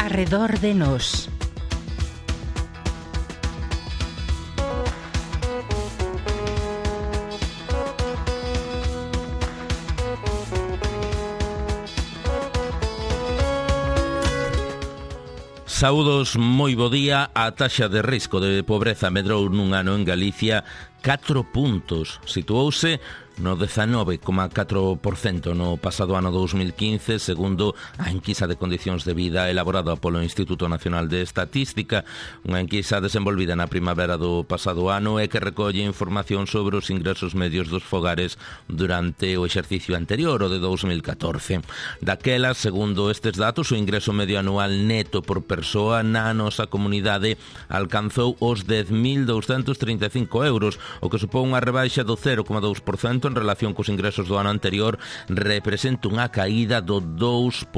Arredor de nós. Saúdos, moi bo día. A taxa de risco de pobreza medrou nun ano en Galicia 4 puntos. Situouse no 19,4% no pasado ano 2015, segundo a enquisa de condicións de vida elaborada polo Instituto Nacional de Estatística, unha enquisa desenvolvida na primavera do pasado ano e que recolle información sobre os ingresos medios dos fogares durante o exercicio anterior, o de 2014. Daquela, segundo estes datos, o ingreso medio anual neto por persoa na nosa comunidade alcanzou os 10.235 euros, o que supón unha rebaixa do 0,2% en relación cos ingresos do ano anterior, representa unha caída do 2%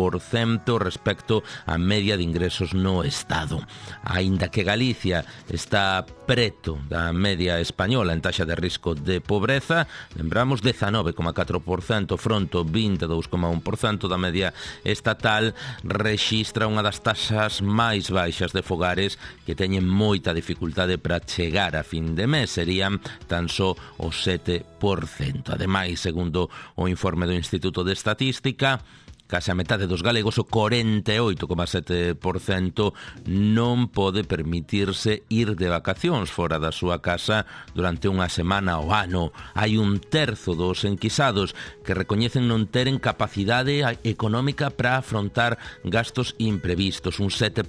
respecto á media de ingresos no Estado. Aínda que Galicia está preto da media española en taxa de risco de pobreza, lembramos 19,4% fronte ao 22,1% da media estatal, rexistra unha das taxas máis baixas de fogares que teñen moita dificultade para chegar a fin de mes, serían tan só o 7%. Ademais, segundo o informe do Instituto de Estatística, case a metade dos galegos, o 48,7%, non pode permitirse ir de vacacións fora da súa casa durante unha semana ao ano. Hai un terzo dos enquisados que recoñecen non teren capacidade económica para afrontar gastos imprevistos. Un 7%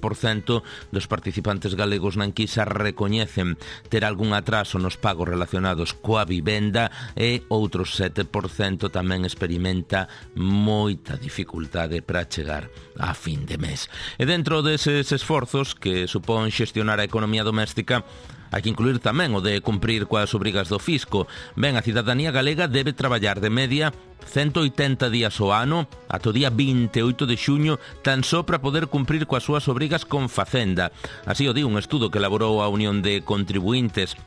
dos participantes galegos na enquisa recoñecen ter algún atraso nos pagos relacionados coa vivenda e outro 7% tamén experimenta moita dificultade para chegar a fin de mes. E dentro deses esforzos que supón xestionar a economía doméstica, hai que incluir tamén o de cumprir coas obrigas do fisco. Ben, a cidadanía galega debe traballar de media 180 días ao ano ata o día 28 de xuño tan só para poder cumprir coas súas obrigas con Facenda. Así o di un estudo que elaborou a Unión de Contribuintes.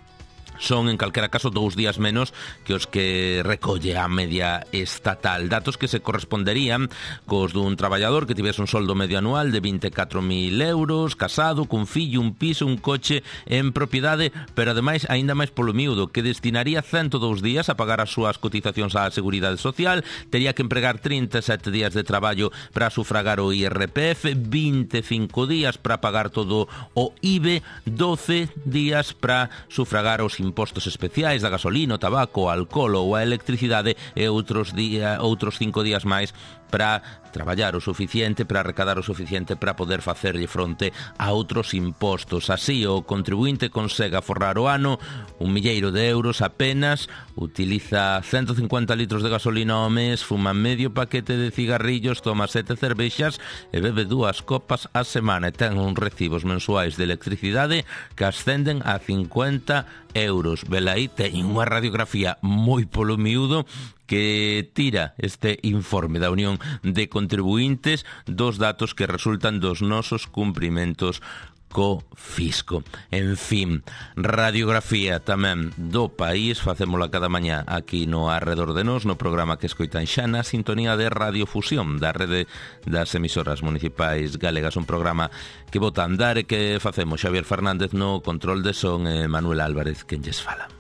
Son, en calquera caso, 2 días menos que os que recolle a media estatal. Datos que se corresponderían cos dun traballador que tivese un soldo medio anual de 24.000 euros, casado, cun fillo, un piso, un coche en propiedade, pero ademais, aínda máis polo miúdo, que destinaría 102 días a pagar as súas cotizacións á Seguridade Social, tería que empregar 37 días de traballo para sufragar o IRPF, 25 días para pagar todo o IBE, 12 días para sufragar os impostos especiais da gasolina, o tabaco, o alcohol ou a electricidade e outros 5 días máis para traballar o suficiente, para recadar o suficiente para poder facerlle fronte a outros impostos. Así, o contribuinte consegue aforrar o ano 1.000.000 de euros apenas, utiliza 150 litros de gasolina ao mes, fuma medio paquete de cigarrillos, toma 7 cervexas e bebe 2 copas a semana e ten uns recibos mensuais de electricidade que ascenden a 50 euros. Velaí teñen unha radiografía moi polo miúdo que tira este informe da Unión de Contribuintes dos datos que resultan dos nosos cumprimentos co fisco. En fin, radiografía tamén do país, facémola cada mañá aquí no Arredor de Nós, no programa que escoitan xa na sintonía de Radiofusión da rede das emisoras municipais galegas, un programa que bota a andar e que facemos Xavier Fernández no control de son e Manuel Álvarez quen lles fala.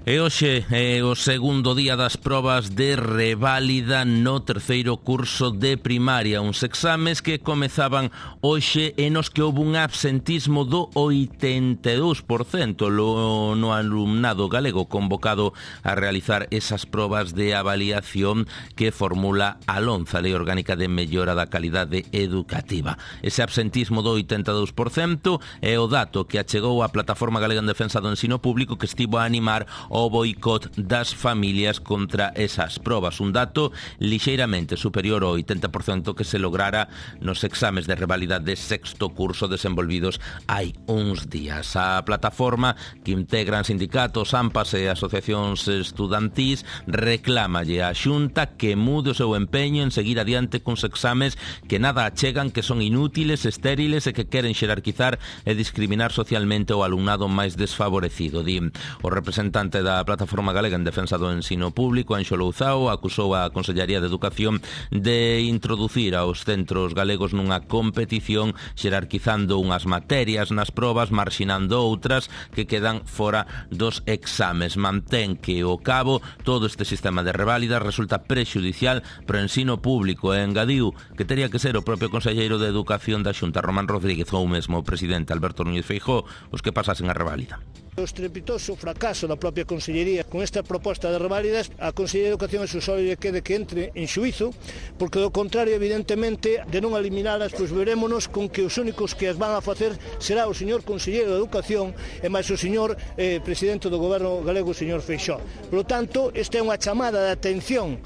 E hoxe é o segundo día das probas de reválida no terceiro curso de primaria, uns exames que comezaban hoxe e nos que houve un absentismo do 82% no alumnado galego convocado a realizar esas probas de avaliación que formula a LOMCE, a Lei Orgánica de Mellora da Calidade Educativa. Ese absentismo do 82% é o dato que achegou a Plataforma Galega en Defensa do Ensino Público, que estivo a animar o o boicot das familias contra esas probas, un dato lixeiramente superior ao 80% que se lograra nos exames de revalida de sexto curso desenvolvidos hai uns días. A plataforma que integran sindicatos, AMPAs e asociacións estudantís reclámalle á Xunta que mude o seu empeño en seguir adiante cuns exames que nada achegan, que son inútiles, estériles e que queren xerarquizar e discriminar socialmente o alumnado máis desfavorecido. Di o representante da Plataforma Galega en Defensa do Ensino Público, Anxo Louzao, acusou a Consellería de Educación de introducir aos centros galegos nunha competición xerarquizando unhas materias nas probas, marxinando outras que quedan fora dos exames. Mantén que o cabo todo este sistema de reválidas resulta prexudicial para o ensino público e engadiu que teria que ser o propio Conselleiro de Educación da Xunta, Román Rodríguez, ou mesmo o presidente Alberto Núñez Feijóo, os que pasasen a reválida. O estrepitoso fracaso da propia Consellería con esta proposta de reválidas, a Consellería de Educación é só lle quede que entre en xuízo, porque do contrario, evidentemente, de non eliminalas, pois verémonos con que os únicos que as van a facer será o señor Conselleiro de Educación e máis o señor presidente do Goberno galego, o señor Feixóo. Por lo tanto, esta é unha chamada de atención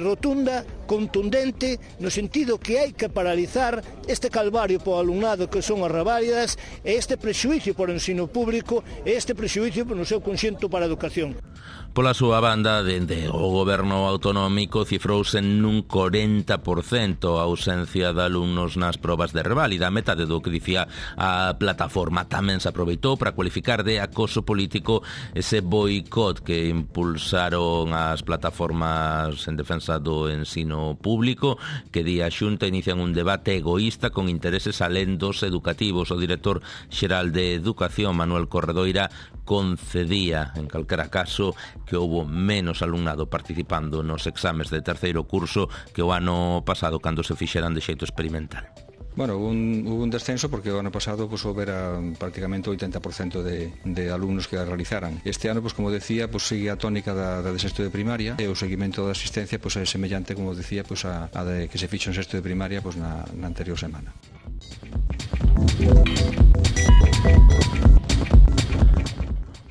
rotunda, contundente, no sentido que hai que paralizar este calvario para o alumnado que son as reválidas e este prexuízo para o ensino público e este prexuízo no seu conxunto para a educación. Pola súa banda, dende o goberno autonómico cifrouse nun 40% a ausencia de alumnos nas probas de reválida, a metade do que dicía a plataforma. Tamén se aproveitou para cualificar de acoso político ese boicot que impulsaron as plataformas en defensa do ensino público, que di a Xunta inician un debate egoísta con intereses alén dos educativos. O director xeral de Educación, Manuel Corredoira, concedía, en calquera caso, que houbo menos alumnado participando nos exames de terceiro curso que o ano pasado cando se fixeran de xeito experimental. Bueno, hubo un descenso porque o ano pasado pues, houbera prácticamente o 80% de alumnos que a realizaran. Este ano, pues, como decía, pues, sigue a tónica da de sexto de primaria e o seguimento da asistencia pues, é semellante, como decía, pues, a de que se fixo en sexto de primaria pues, na anterior semana.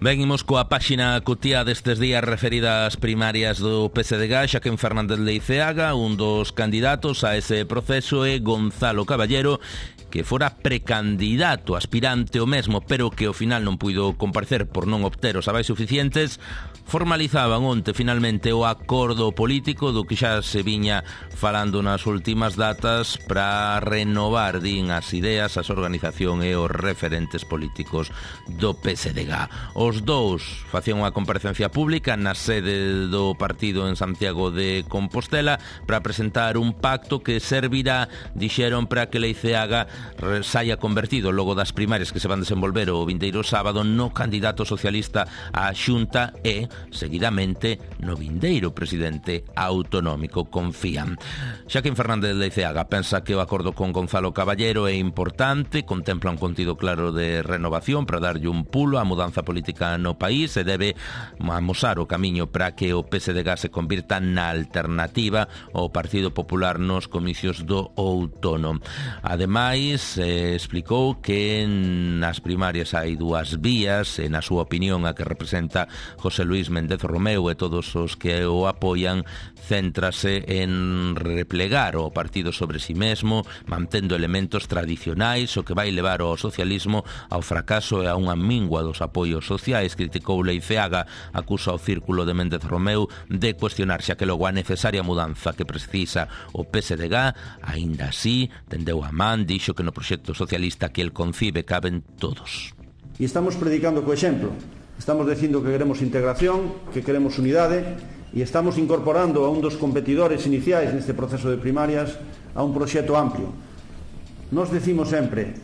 Venimos coa páxina cutía destes días referida ás primarias do PSDG. Xaquén Fernández Leiceaga, un dos candidatos a ese proceso, é Gonzalo Caballero, que fora precandidato, aspirante o mesmo, pero que ao final non puido comparecer por non obter os avais suficientes, formalizaban onte finalmente o acordo político do que xa se viña falando nas últimas datas para renovar, din, as ideas, as organización e os referentes políticos do PSDG. Os dous facían unha comparecencia pública na sede do partido en Santiago de Compostela para presentar un pacto que servirá, dixeron, para que Leiceaga saia convertido logo das primarias que se van desenvolver o vindeiro sábado no candidato socialista á Xunta e seguidamente no vindeiro presidente autonómico, confían. Xaquén Fernández Leiceaga pensa que o acordo con Gonzalo Caballero é importante, contempla un contido claro de renovación para darlle un pulo á mudanza política no país e debe amosar o camiño para que o PSDG se convirta na alternativa ao Partido Popular nos comicios do outono. Ademais, explicou que nas primarias hai dúas vías e na súa opinión a que representa José Luis Méndez Romeu e todos os que o apoian céntrase en replegar o partido sobre si mesmo, mantendo elementos tradicionais, o que vai levar ao socialismo ao fracaso e a unha mingua dos apoios sociais. Criticou Leiceaga, acusa o círculo de Méndez Romeu de cuestionarse a que logo a necesaria mudanza que precisa o PSDG, aínda así, tendeu a man, dixo que no proxecto socialista que el concibe caben todos. E estamos predicando co exemplo. Estamos dicindo que queremos integración, que queremos unidade e estamos incorporando a un dos competidores iniciais neste proceso de primarias a un proxecto amplio. Nos decimos sempre,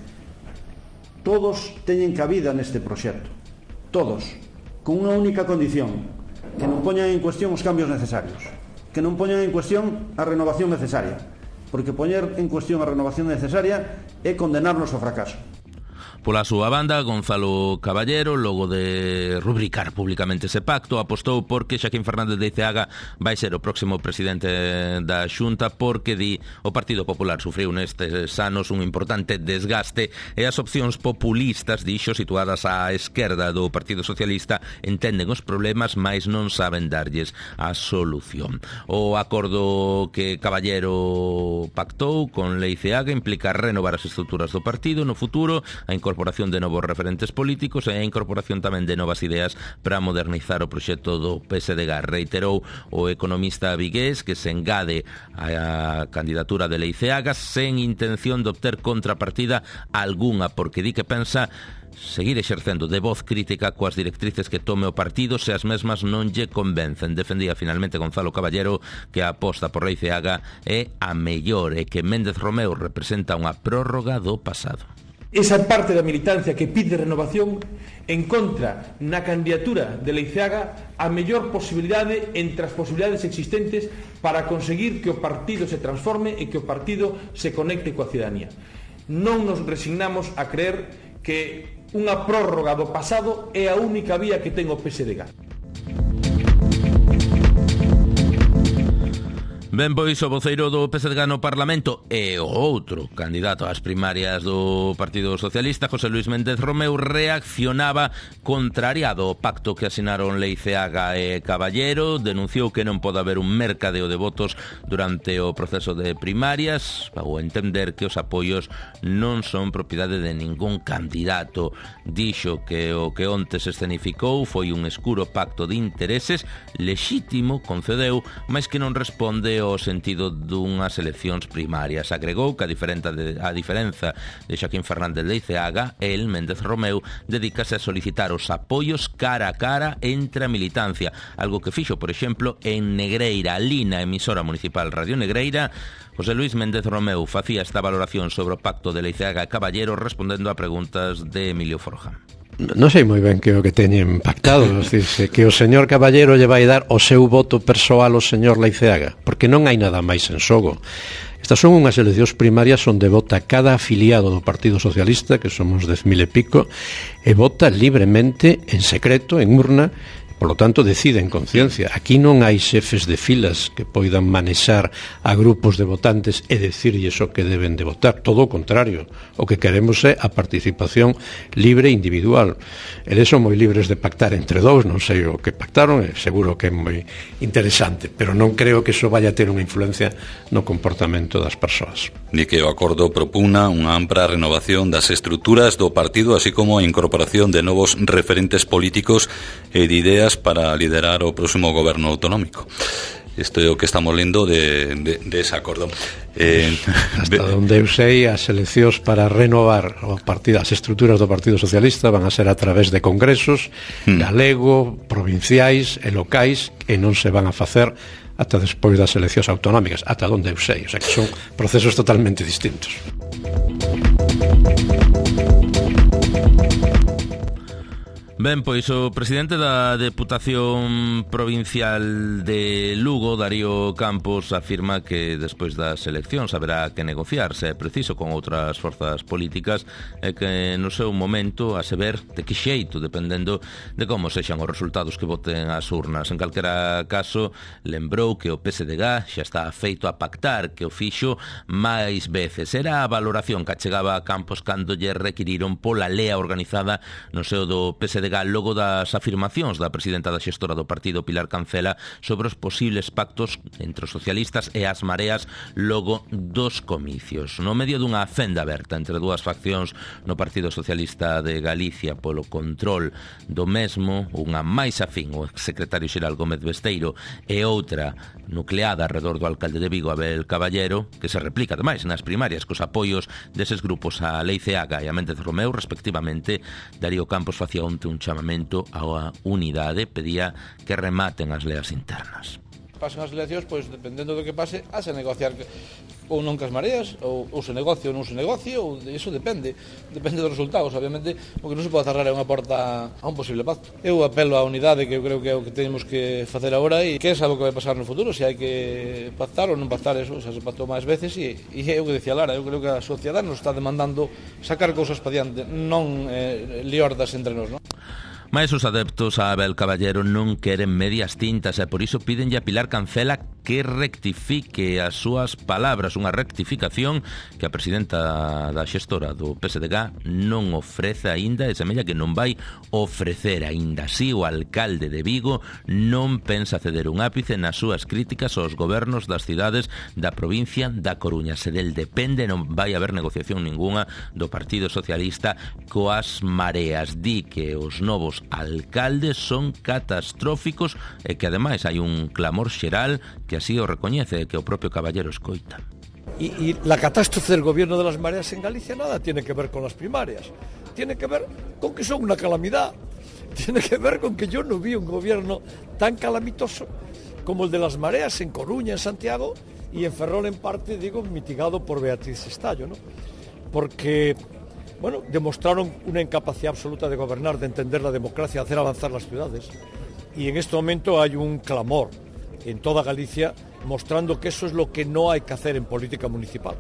todos teñen cabida neste proxecto, todos, con unha única condición, que non poñan en cuestión os cambios necesarios, que non poñan en cuestión a renovación necesaria, porque poñer en cuestión a renovación necesaria é condenarnos ao fracaso. Pola súa banda, Gonzalo Caballero, logo de rubricar públicamente ese pacto, apostou porque Xaquín Fernández de Eiceaga vai ser o próximo presidente da Xunta, porque di o Partido Popular sufriu nestes anos un importante desgaste e as opcións populistas, dixo, situadas á esquerda do Partido Socialista, entenden os problemas, mais non saben darlles a solución. O acordo que Caballero pactou con Leiceaga implica renovar as estruturas do partido no futuro, a incorporación de novos referentes políticos e a incorporación tamén de novas ideas para modernizar o proxecto do PSDG. Reiterou o economista vigués que se engade a candidatura de Leiceaga sen intención de obter contrapartida algunha, porque di que pensa seguir exercendo de voz crítica coas directrices que tome o partido se as mesmas non lle convencen. Defendía finalmente Gonzalo Caballero que a aposta por Leiceaga é a mellor e que Méndez Romeu representa unha prórroga do pasado. Esa parte da militancia que pide renovación encontra na candidatura de Leiceaga a mellor posibilidade entre as posibilidades existentes para conseguir que o partido se transforme e que o partido se conecte coa cidadanía. Non nos resignamos a creer que unha prórroga do pasado é a única vía que ten o PSDG. Ben, pois o voceiro do PSDG no Parlamento e o outro candidato ás primarias do Partido Socialista, José Luis Méndez Romeu, reaccionaba contrariado ao pacto que asinaron Leiceaga e Caballero. Denunciou que non pode haber un mercadeo de votos durante o proceso de primarias, ao entender que os apoios non son propiedade de ningún candidato. Dixo que o que onte se escenificou foi un escuro pacto de intereses lexítimo, concedeu, mas que non responde ao sentido dunhas eleccións primarias. Agregou que a diferenza de Xaquín Fernández de Leiceaga, el, Méndez Romeu, dedícase a solicitar os apoios cara a cara entre a militancia, algo que fixo, por exemplo, en Negreira, ali na emisora municipal Radio Negreira. José Luis Méndez Romeu facía esta valoración sobre o pacto de Leiceaga e Caballero respondendo a preguntas de Emilio Forja. Non sei moi ben que o que teñen pactado, decirse, que o señor Caballero lle vai dar o seu voto persoal ao señor Leiceaga, porque non hai nada máis en xogo. Estas son unhas eleccións primarias onde vota cada afiliado do Partido Socialista, que somos 10.000 e pico, e vota libremente, en secreto, en urna. Por lo tanto, decide en conciencia. Aquí non hai xefes de filas que poidan manexar a grupos de votantes e decirlles o que deben de votar. Todo o contrario. O que queremos é a participación libre e individual. Eles son moi libres de pactar entre dous, non sei o que pactaron, seguro que é moi interesante, pero non creo que iso vaya a ter unha influencia no comportamento das persoas. Ni que o acordo propugna unha ampla renovación das estruturas do partido, así como a incorporación de novos referentes políticos e de ideas para liderar o próximo goberno autonómico. Isto é o que estamos lendo de ese acordo. Hasta onde eu sei, as eleccións para renovar as estruturas do Partido Socialista van a ser a través de congresos galego, provinciais e locais, e non se van a facer ata despois das eleccións autonómicas, ata onde eu sei. O sea que son procesos totalmente distintos. Ben, pois o presidente da Deputación Provincial de Lugo, Darío Campos, afirma que despois das eleccións haberá que negociar, se é preciso, con outras forzas políticas e que no seu momento a se ver de que xeito, dependendo de como sexan os resultados que voten as urnas. En calquera caso, lembrou que o PSDG xa está feito a pactar, que o fixo máis veces. Era a valoración que achegaba a Campos cando lle requiriron pola lea organizada no seo do PSDG logo das afirmacións da presidenta da xestora do partido, Pilar Cancela, sobre os posibles pactos entre os socialistas e as mareas logo dos comicios. No medio dunha fenda aberta entre dúas faccións no Partido Socialista de Galicia polo control do mesmo, unha máis afín, o exsecretario xeral Gómez Besteiro, e outra nucleada alrededor do alcalde de Vigo, Abel Caballero, que se replica ademais nas primarias cos apoios deses grupos a Leiceaga e a Méndez Romeu, respectivamente. Darío Campos facía onte un chamamento á unidade, pedía que rematen as leas internas. pasen as eleccións, pois dependendo do que pase, hace negociar ou non cas mareas, ou se negocio ou non se negocio, ou iso depende dos resultados. Obviamente, o que non se pode cerrar é unha porta a un posible pacto. Eu apelo á unidade, que eu creo que é o que temos que facer agora, e que é algo que vai pasar no futuro, se hai que pactar ou non pactar, eso xa se pactou máis veces, e é o que decía Lara, eu creo que a sociedade nos está demandando sacar cousas pa diante, non liordas entre nós, non? Mais os adeptos a Abel Caballero non queren medias tintas e por iso pídenlle a Pilar Cancela que rectifique as súas palabras, unha rectificación que a presidenta da xestora do PSDG non ofrece aínda e semella que non vai ofrecer aínda. Así, o alcalde de Vigo non pensa ceder un ápice nas súas críticas aos gobernos das cidades da provincia da Coruña. Se del depende, non vai haber negociación ninguna do Partido Socialista coas mareas. Di que os novos alcaldes son catastróficos e que ademais hai un clamor xeral que así o recoñece, que o propio Caballero escoita. Y la catástrofe del gobierno de las mareas en Galicia nada tiene que ver con las primarias, tiene que ver con que son una calamidad, tiene que ver con que yo no vi un gobierno tan calamitoso como el de las mareas en Coruña, en Santiago y en Ferrol en parte, digo, mitigado por Beatriz Estallo, ¿no? Porque bueno, demostraron una incapacidad absoluta de gobernar, de entender la democracia, de hacer avanzar las ciudades. Y en este momento hay un clamor en toda Galicia mostrando que eso es lo que no hay que hacer en política municipal.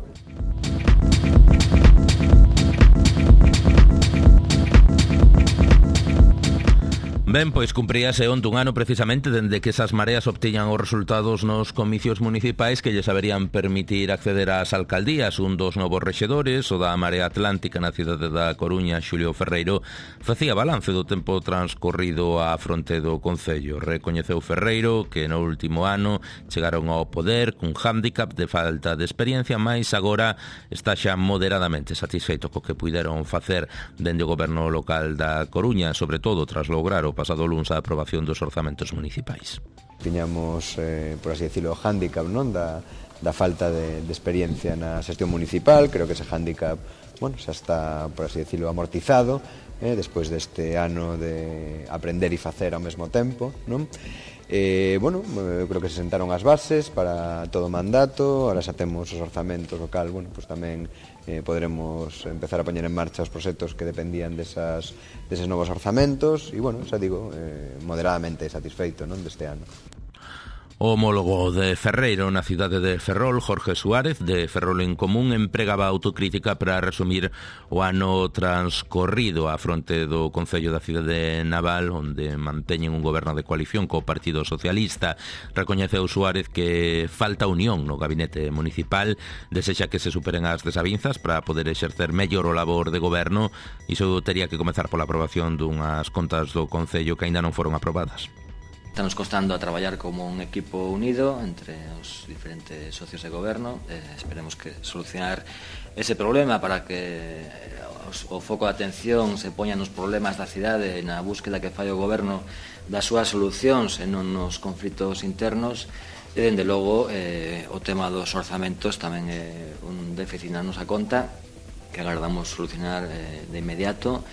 Ben, pois cumpríase onte un ano precisamente dende que esas mareas obtiñan os resultados nos comicios municipais que lles haberían permitir acceder ás alcaldías. Un dos novos rexedores, o da Marea Atlántica na cidade da Coruña, Xulio Ferreiro, facía balance do tempo transcorrido á fronte do concello. Recoñeceu Ferreiro que no último ano chegaron ao poder cun hándicap de falta de experiencia, mais agora está xa moderadamente satisfeito co que puideron facer dende o goberno local da Coruña, sobre todo tras lograr o pasado luns a aprobación dos orzamentos municipais. Tiñamos, por así decirlo, o hándicap, non, da falta de experiencia na xestión municipal. Creo que ese hándicap, bueno, xa está, por así decirlo, amortizado, despois deste ano de aprender e facer ao mesmo tempo, non? Bueno, creo que se sentaron as bases para todo o mandato, ahora xa temos os orzamentos local, bueno, pues tamén poderemos empezar a poñer en marcha os proxectos que dependían deses novos orzamentos e, bueno, xa digo, moderadamente satisfeito, non, deste ano. O homólogo de Ferreiro na cidade de Ferrol, Jorge Suárez, de Ferrol en Común, empregaba autocrítica para resumir o ano transcorrido á fronte do Concello da cidade de Naval, onde manteñen un goberno de coalición co Partido Socialista. Recoñeceu Suárez que falta unión no gabinete municipal, desexa que se superen as desavinzas para poder exercer mellor o labor de goberno. Iso tería que comezar pola aprobación dunhas contas do Concello que aínda non foron aprobadas. Estamos costando a traballar como un equipo unido entre os diferentes socios de goberno. Esperemos que solucionar ese problema para que o foco de atención se poña nos problemas da cidade e na búsqueda que fai o goberno das súas solucións e non nos conflitos internos. E, dende logo, o tema dos orzamentos tamén é un déficit na nosa conta que agardamos solucionar de inmediato.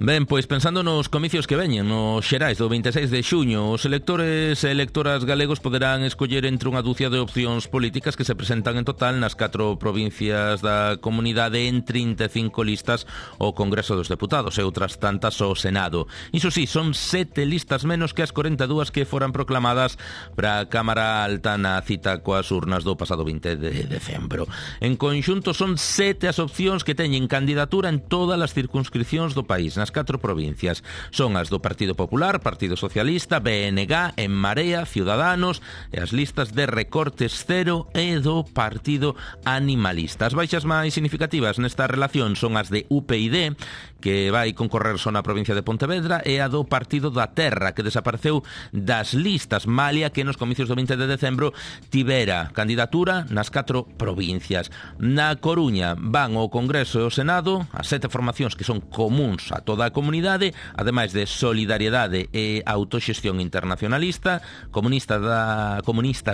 Ben, pois pensando nos comicios que veñen, nos xerais do 26 de xuño, os electores e electoras galegos poderán escoller entre unha dúcia de opcións políticas que se presentan en total nas 4 provincias da comunidade en 35 listas ao Congreso dos Deputados e outras tantas ao Senado. Iso sí, son 7 listas menos que as 42 que foran proclamadas para a Cámara Alta na cita coas urnas do pasado 20 de decembro. En conxunto son 7 as opcións que teñen candidatura en todas as circunscripcións do país, nas 4 provincias. Son as do Partido Popular, Partido Socialista, BNG, En Marea, Ciudadanos e as listas de Recortes Cero e do Partido Animalista. As baixas máis significativas nesta relación son as de UPyD, que vai concorrer só na provincia de Pontevedra, e a do Partido da Terra, que desapareceu das listas, malia que nos comicios do 20 de decembro tivera candidatura nas 4 provincias. Na Coruña van ao Congreso e ao Senado as 7 formacións que son comuns a toda a comunidade, ademais de Solidariedade e Autoxestión Internacionalista, Comunistas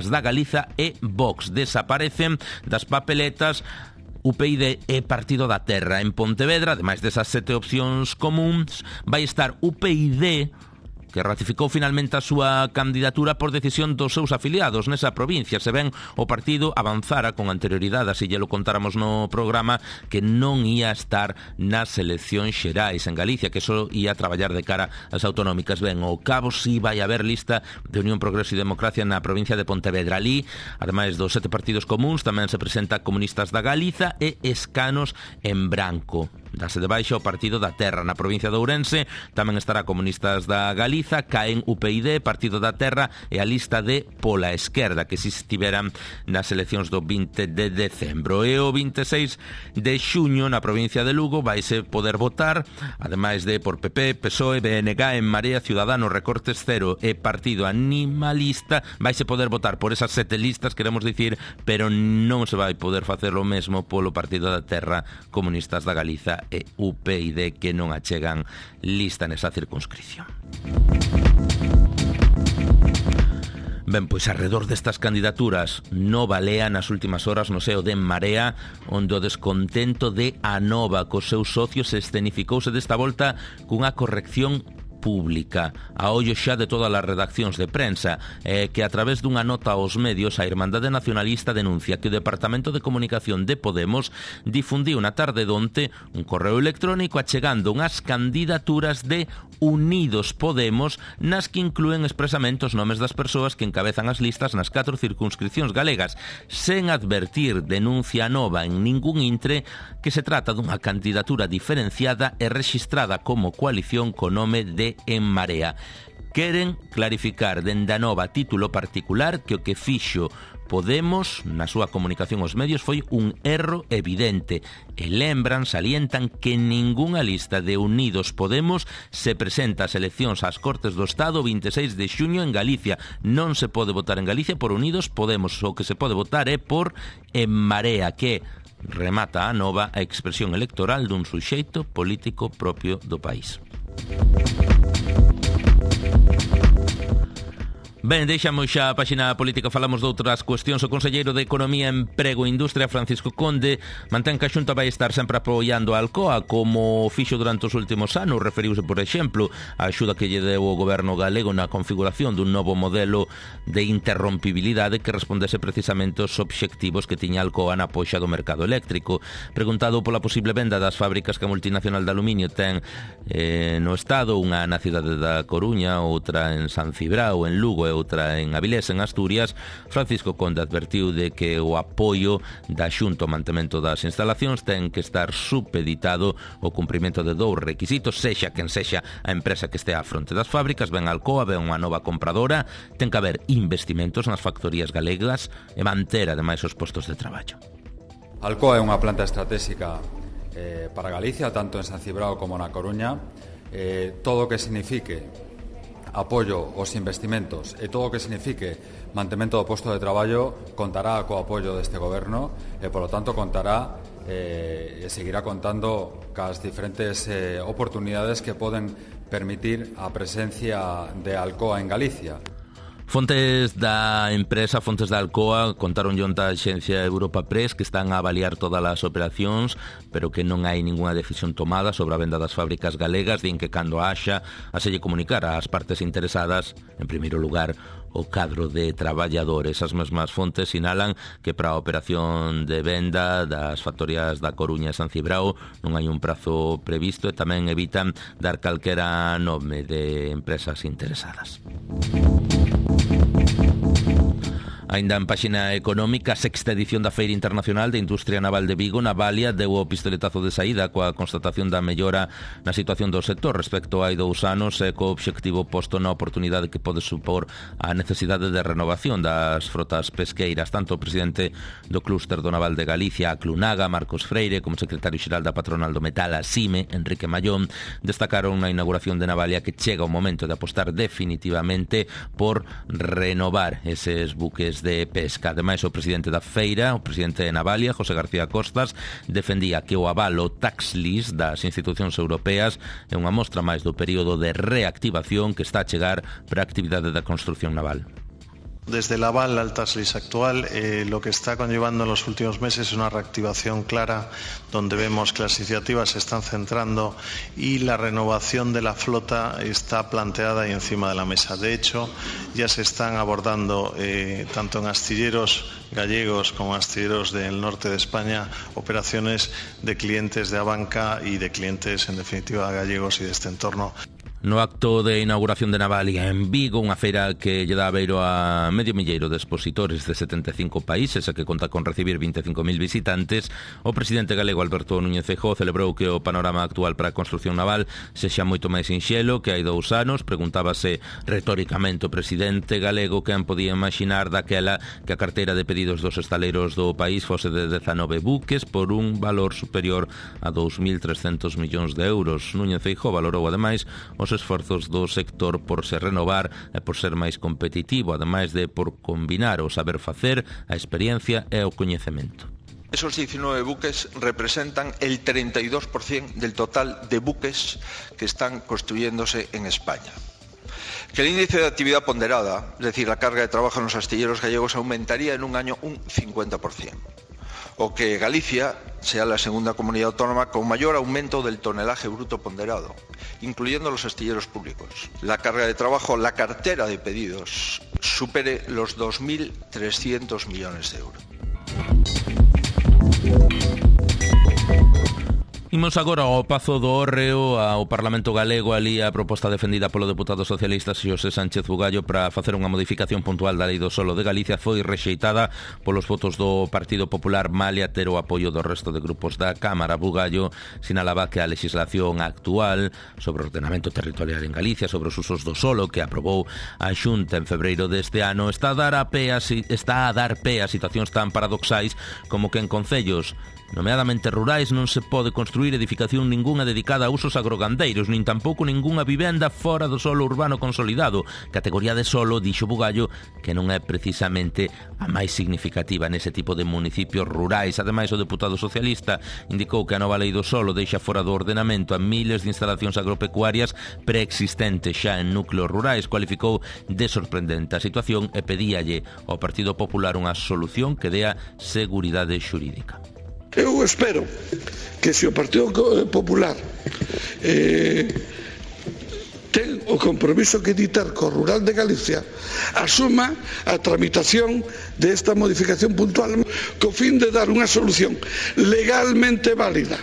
da Galiza e Vox. Desaparecen das papeletas UPyD e Partido da Terra. En Pontevedra, ademais desas 7 opcións comuns, vai estar UPyD, que ratificou finalmente a súa candidatura por decisión dos seus afiliados nesa provincia. Se ben, o partido avanzara con anterioridade, así lle lo contáramos no programa, que non ia estar nas eleccións xerais en Galicia, que só ia traballar de cara ás autonómicas. Ben, ao cabo si vai haber lista de Unión Progreso e Democracia na provincia de Pontevedra. Ali, ademais dos 7 partidos comuns, tamén se presenta Comunistas da Galiza e Escanos en branco. Dase de baixa o Partido da Terra. Na provincia de Ourense tamén estará Comunistas da Galiza, caen UPyD, Partido da Terra e a lista de Pola Esquerda, que si estiveran nas eleccións do 20 de decembro. E o 26 de xuño na provincia de Lugo vaise poder votar, ademais de por PP, PSOE, BNG, En Marea, Ciudadanos, Recortes Cero e Partido Animalista, vaise poder votar por esas 7 listas, queremos dicir, pero non se vai poder facer o mesmo polo Partido da Terra, Comunistas da Galiza e UPyD, que non achegan lista nesa circunscripción. Ben, pois alrededor destas candidaturas no balea nas últimas horas no seo de En Marea, onde o descontento de Anova cos seus socios escenificouse desta volta cunha corrección pública a ollo xa de todas as redaccións de prensa, que a través dunha nota aos medios a Irmandade Nacionalista denuncia que o Departamento de Comunicación de Podemos difundiu na tarde donte un correo electrónico achegando unhas candidaturas de Unidos Podemos nas que inclúen expresamente os nomes das persoas que encabezan as listas nas 4 circunscripcións galegas, sen advertir, denuncia Nova, en ningún intre que se trata dunha candidatura diferenciada e rexistrada como coalición co nome de En Marea. Queren clarificar dende a Nova título particular que o que fixo Podemos na súa comunicación aos medios foi un erro evidente e lembran, salientan que ningunha lista de Unidos Podemos se presenta ás eleccións ás Cortes do Estado 26 de xuño en Galicia. Non se pode votar en Galicia por Unidos Podemos, o que se pode votar é por En Marea, que remata a Nova a expresión electoral dun suxeito político propio do país. Ben, deixamos xa a páxina política, falamos de outras cuestións. O conselleiro de Economía, Emprego e Industria, Francisco Conde, mantén que a Xunta vai estar sempre apoiando a Alcoa, como fixo durante os últimos anos. Referiuse, por exemplo, a axuda que lle deu o goberno galego na configuración dun novo modelo de interrompibilidade que respondese precisamente aos obxectivos que tiña Alcoa na poxa do mercado eléctrico. Preguntado pola posible venda das fábricas que a multinacional de aluminio ten no Estado, unha na cidade da Coruña, outra en San Cibrao, en Lugo e outra en Avilés, en Asturias, Francisco Conde advertiu de que o apoio da Xunta ao mantemento das instalacións ten que estar supeditado ao cumprimento de 2 requisitos, sexa quen sexa a empresa que estea á fronte das fábricas, ben Alcoa, ben unha nova compradora, ten que haber investimentos nas factorías galegas e manter ademais os postos de traballo. Alcoa é unha planta estratégica para Galicia, tanto en San Cibrao como na Coruña. Todo o que signifique apoio aos investimentos e todo o que signifique mantemento do posto de traballo contará co apoio deste goberno e, polo tanto, contará e seguirá contando cas diferentes oportunidades que poden permitir a presencia de Alcoa en Galicia. Fontes da empresa, fontes da Alcoa, contaron onte a axencia Europa Press que están a avaliar todas as operacións, pero que non hai ninguna decisión tomada sobre a venda das fábricas galegas. Din que cando haxa, a selle comunicar ás partes interesadas, en primeiro lugar, o cadro de traballadores. As mesmas fontes sinalan que para a operación de venda das factorías da Coruña e San Cibrao non hai un prazo previsto e tamén evitan dar calquera nome de empresas interesadas. Ainda en páxina económica, a 6ª edición da Feira Internacional de Industria Naval de Vigo, Navalia, deu o pistoletazo de saída coa constatación da mellora na situación do sector respecto hai 2 anos e co obxectivo posto na oportunidade que pode supor a necesidade de renovación das frotas pesqueiras. Tanto o presidente do Clúster do Naval de Galicia, a Clunaga, Marcos Freire, como secretario xeral da patronal do metal, a CIME, Enrique Mallón, destacaron na inauguración de Navalia que chega o momento de apostar definitivamente por renovar eses buques de pesca. Ademais, o presidente da feira, o presidente de Navalia, José García Costas, defendía que o avalo tax list das institucións europeas é unha mostra máis do período de reactivación que está a chegar para a actividade da construción naval. Desde el aval al TASLIS actual, lo que está conllevando en los últimos meses es una reactivación clara, donde vemos que las iniciativas se están centrando y la renovación de la flota está planteada y encima de la mesa. De hecho, ya se están abordando, tanto en astilleros gallegos como astilleros del norte de España, operaciones de clientes de Abanca y de clientes, en definitiva, gallegos y de este entorno. No acto de inauguración de Navalia en Vigo, unha feira que lle dá beiro a medio milleiro de expositores de 75 países e que conta con recibir 25.000 visitantes, o presidente galego Alberto Núñez Feijóo celebrou que o panorama actual para a construción naval sexa moito máis sinxelo que hai 2 anos. Preguntábase retóricamente o presidente galego quen podía imaginar daquela que a carteira de pedidos dos estaleiros do país fose de 19 buques por un valor superior a 2.300 millóns de euros. Núñez Feijóo valorou ademais os esforzos do sector por se renovar e por ser máis competitivo, ademais de por combinar o saber facer, a experiencia e o coñecemento. Esos 19 buques representan el 32% del total de buques que están construyéndose en España. Que el índice de actividad ponderada, es decir, la carga de trabajo en los astilleros gallegos, aumentaría en un año un 50%. O que Galicia sea la segunda comunidad autónoma con mayor aumento del tonelaje bruto ponderado, incluyendo los astilleros públicos. La carga de trabajo, la cartera de pedidos, supere los 2.300 millones de euros. Imos agora ao Pazo do Hórreo, ao Parlamento Galego, ali a proposta defendida polo deputado socialista Xosé Sánchez Bugallo para facer unha modificación puntual da Lei do Solo de Galicia foi rexeitada polos votos do Partido Popular, malia ter o apoio do resto de grupos da Cámara. Bugallo sinalaba que a legislación actual sobre o ordenamento territorial en Galicia, sobre os usos do solo que aprobou a Xunta en febreiro deste ano, está a dar pé a situacións tan paradoxais como que en concellos nomeadamente rurais non se pode construir edificación ningunha dedicada a usos agrogandeiros, nin tampouco ningunha vivenda fora do solo urbano consolidado. Categoría de solo, dixo Bugallo, que non é precisamente a máis significativa nese tipo de municipios rurais. Ademais, o deputado socialista indicou que a nova lei do solo deixa fora do ordenamento a miles de instalacións agropecuarias preexistentes xa en núcleos rurais. Cualificou de sorprendente a situación e pedíalle ao Partido Popular unha solución que dea seguridade xurídica. Eu espero que se o Partido Popular ten o compromiso que ditar co rural de Galicia, asuma a tramitación desta modificación puntual co fin de dar unha solución legalmente válida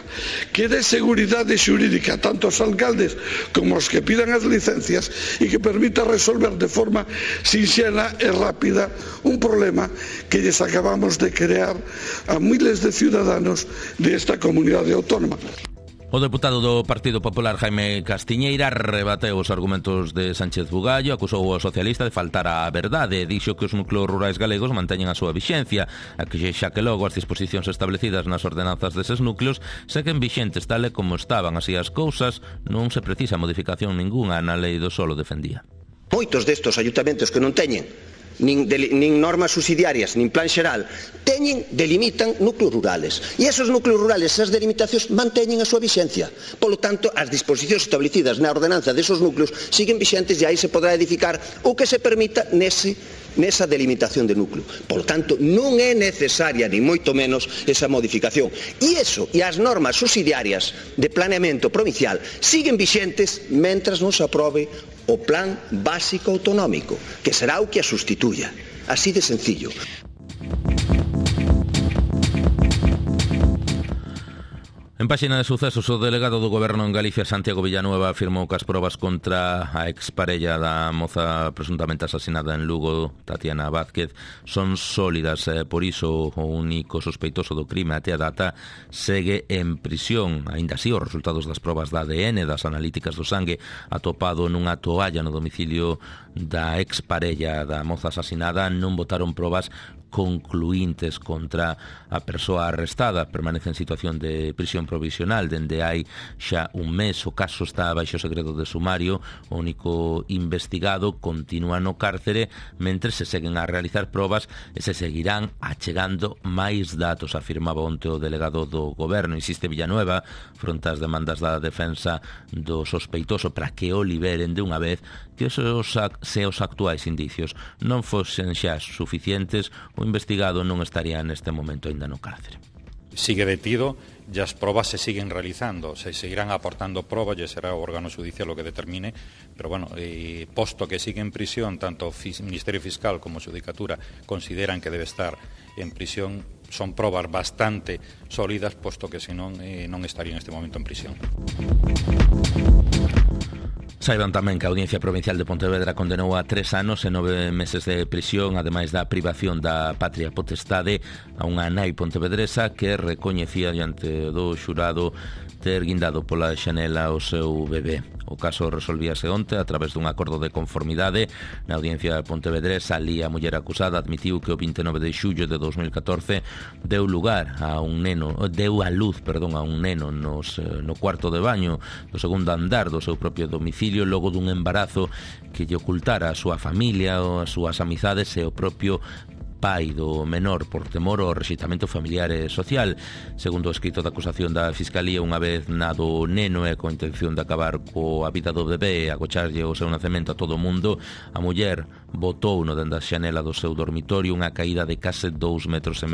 que dé seguridade xurídica tanto aos alcaldes como aos que pidan as licencias e que permita resolver de forma sinxela e rápida un problema que lles acabamos de crear a miles de ciudadanos desta comunidade autónoma. O deputado do Partido Popular Jaime Castiñeira rebateu os argumentos de Sánchez Bugallo, acusou o socialista de faltar á verdade, dixo que os núcleos rurais galegos manteñen a súa vixencia, a que xa que logo as disposicións establecidas nas ordenanzas deses núcleos seguen vixentes tal e como estaban. Así as cousas, non se precisa modificación ningunha na lei do solo, defendía. Moitos destos ayuntamentos que non teñen nin normas subsidiarias, nin plan xeral, delimitan núcleos rurales. E esos núcleos rurales, esas delimitacións, manteñen a súa vixencia. Polo tanto, as disposicións establecidas na ordenanza desos núcleos siguen vixentes e aí se podrá edificar o que se permita nesa delimitación de núcleo. Polo tanto, non é necesaria, ni moito menos, esa modificación. E as normas subsidiarias de planeamento provincial siguen vixentes mentras non se aprobe o plan básico autonómico, que será o que a sustituya. Así de sencillo. En páxina de sucesos, o delegado do Goberno en Galicia, Santiago Villanueva, afirmou que as probas contra a exparella da moza presuntamente asasinada en Lugo, Tatiana Vázquez, son sólidas. Por iso, o único sospeitoso do crime até a data segue en prisión. Aínda así, os resultados das probas da ADN, das analíticas do sangue, atopado nunha toalla no domicilio da exparella da moza asasinada, non botaron probas concluíntes contra a persoa arrestada. Permanece en situación de prisión provisional dende hai xa un mes. O caso está baixo segredo de sumario. O único investigado continúa no cárcere mentre se seguen a realizar probas e se seguirán achegando máis datos, afirmaba onte o delegado do Goberno. Insiste Villanueva fronte ás demandas da defensa do sospeitoso para que o liberen de unha vez, que se os actuais indicios non fosen xa suficientes, o investigado non estaría neste momento aínda no cárcere. Sigue detido e as probas se siguen realizando, se seguirán aportando probas e será o órgano judicial o que determine, pero bueno, posto que sigue en prisión, tanto o Ministerio Fiscal como a Xudicatura consideran que debe estar en prisión, son probas bastante sólidas, posto que senón non estaría neste momento en prisión. Saiban tamén que a Audiencia Provincial de Pontevedra condenou a 3 anos e 9 meses de prisión, ademais da privación da patria potestade, a unha nai pontevedresa que recoñecía diante do xurado ter guindado pola xanela o seu bebé. O caso resolvíase onte a través dun acordo de conformidade. Na Audiencia pontevedresa, ali a muller acusada admitiu que o 29 de xullo de 2014 deu a luz a un neno no cuarto de baño do segundo andar do seu propio domicilio, logo dun embarazo que lle ocultara a súa familia, as súas amizades e o propio pai do menor por temor ao rexeitamento familiar e social. Segundo o escrito da acusación da Fiscalía, unha vez nado o neno e con intención de acabar coa vida do bebé e agocharlle o seu nacemento a todo o mundo, a muller botou no dende a xanela do seu dormitorio unha caída de case 2,5 metros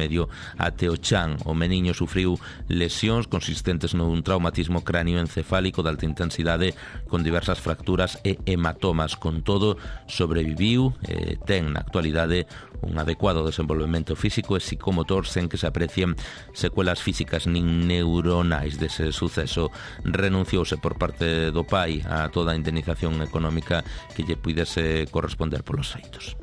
até o chan. O meniño sufriu lesións consistentes nun traumatismo cranioencefálico de alta intensidade con diversas fracturas e hematomas. Con todo, sobreviviu e ten na actualidade un adecuado desenvolvemento físico e psicomotor sen que se aprecien secuelas físicas nin neuronais dese suceso. Renunciouse por parte do pai a toda a indemnización económica que lle puidese corresponder polos feitos.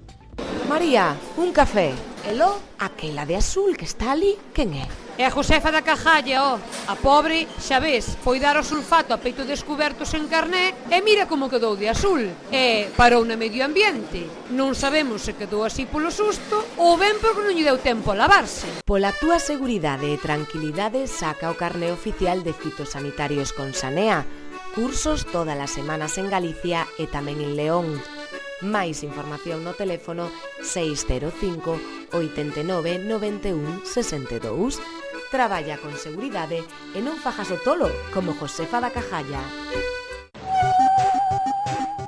María, un café. Elo, aquela de azul que está ali, quen é? É a Josefa da Cajalla, A pobre, xa ves, foi dar o sulfato a peito descuberto sen carné e mira como quedou de azul. E parou na medio ambiente. Non sabemos se quedou así polo susto ou ben porque non lle deu tempo a lavarse. Pola túa seguridade e tranquilidade, saca o carné oficial de fitosanitarios con Sanea. Cursos todas as semanas en Galicia e tamén en León. Máis información no teléfono 605 89 91 62. Traballa con seguridade e non fajas o tolo como Josefa da Cajalla.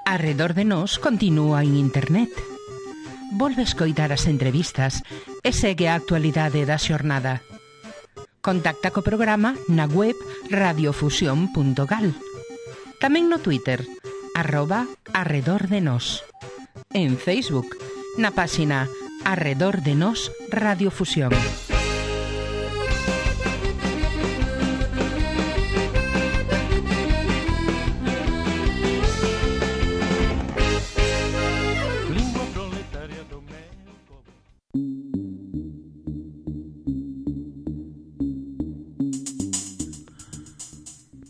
Arredor de nós continúa en internet. Volve escoitar as entrevistas e segue a actualidade da xornada. Contacta co programa na web radiofusión.gal. Tamén no Twitter, @arredordenos. En Facebook, na páxina Arredor de Nos Radiofusión.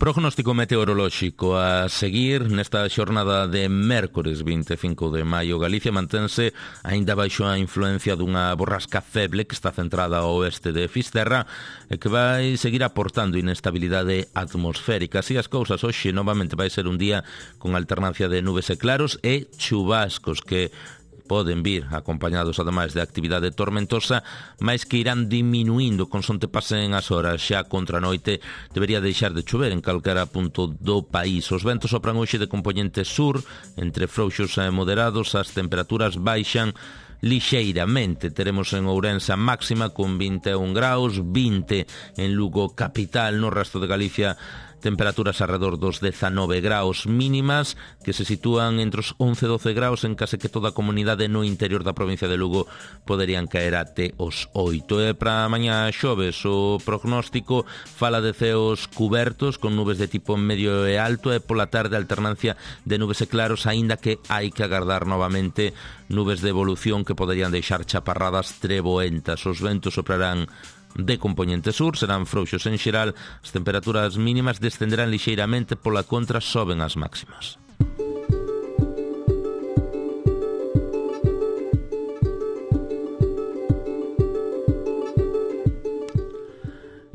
Prognóstico meteorolóxico a seguir nesta xornada de mércores 25 de maio. Galicia mantense aínda baixo a influencia dunha borrasca feble que está centrada ao oeste de Fisterra e que vai seguir aportando inestabilidade atmosférica. Así as cousas, hoxe novamente vai ser un día con alternancia de nubes e claros e chubascos que poden vir acompañados ademais de actividade tormentosa, mais que irán diminuindo consonte pasen as horas. Xa contra a noite debería deixar de chover en calquera punto do país. Os ventos sopran hoxe de componente sur, entre frouxos e moderados. As temperaturas baixan lixeiramente. Teremos en Ourense máxima con 21 graus, 20 en Lugo capital. No resto de Galicia temperaturas alrededor dos 19 graus mínimas, que se sitúan entre os 11 e 12 graus en case que toda a comunidade no interior da provincia de Lugo poderían caer até os 8. E para mañá xoves o prognóstico fala de ceos cubertos con nubes de tipo medio e alto e pola tarde alternancia de nubes e claros, aínda que hai que agardar novamente nubes de evolución que poderían deixar chaparradas treboentas. Os ventos soprarán de componente sur, serán frouxos en xeral, as temperaturas mínimas descenderán lixeiramente, pola contra soben as máximas.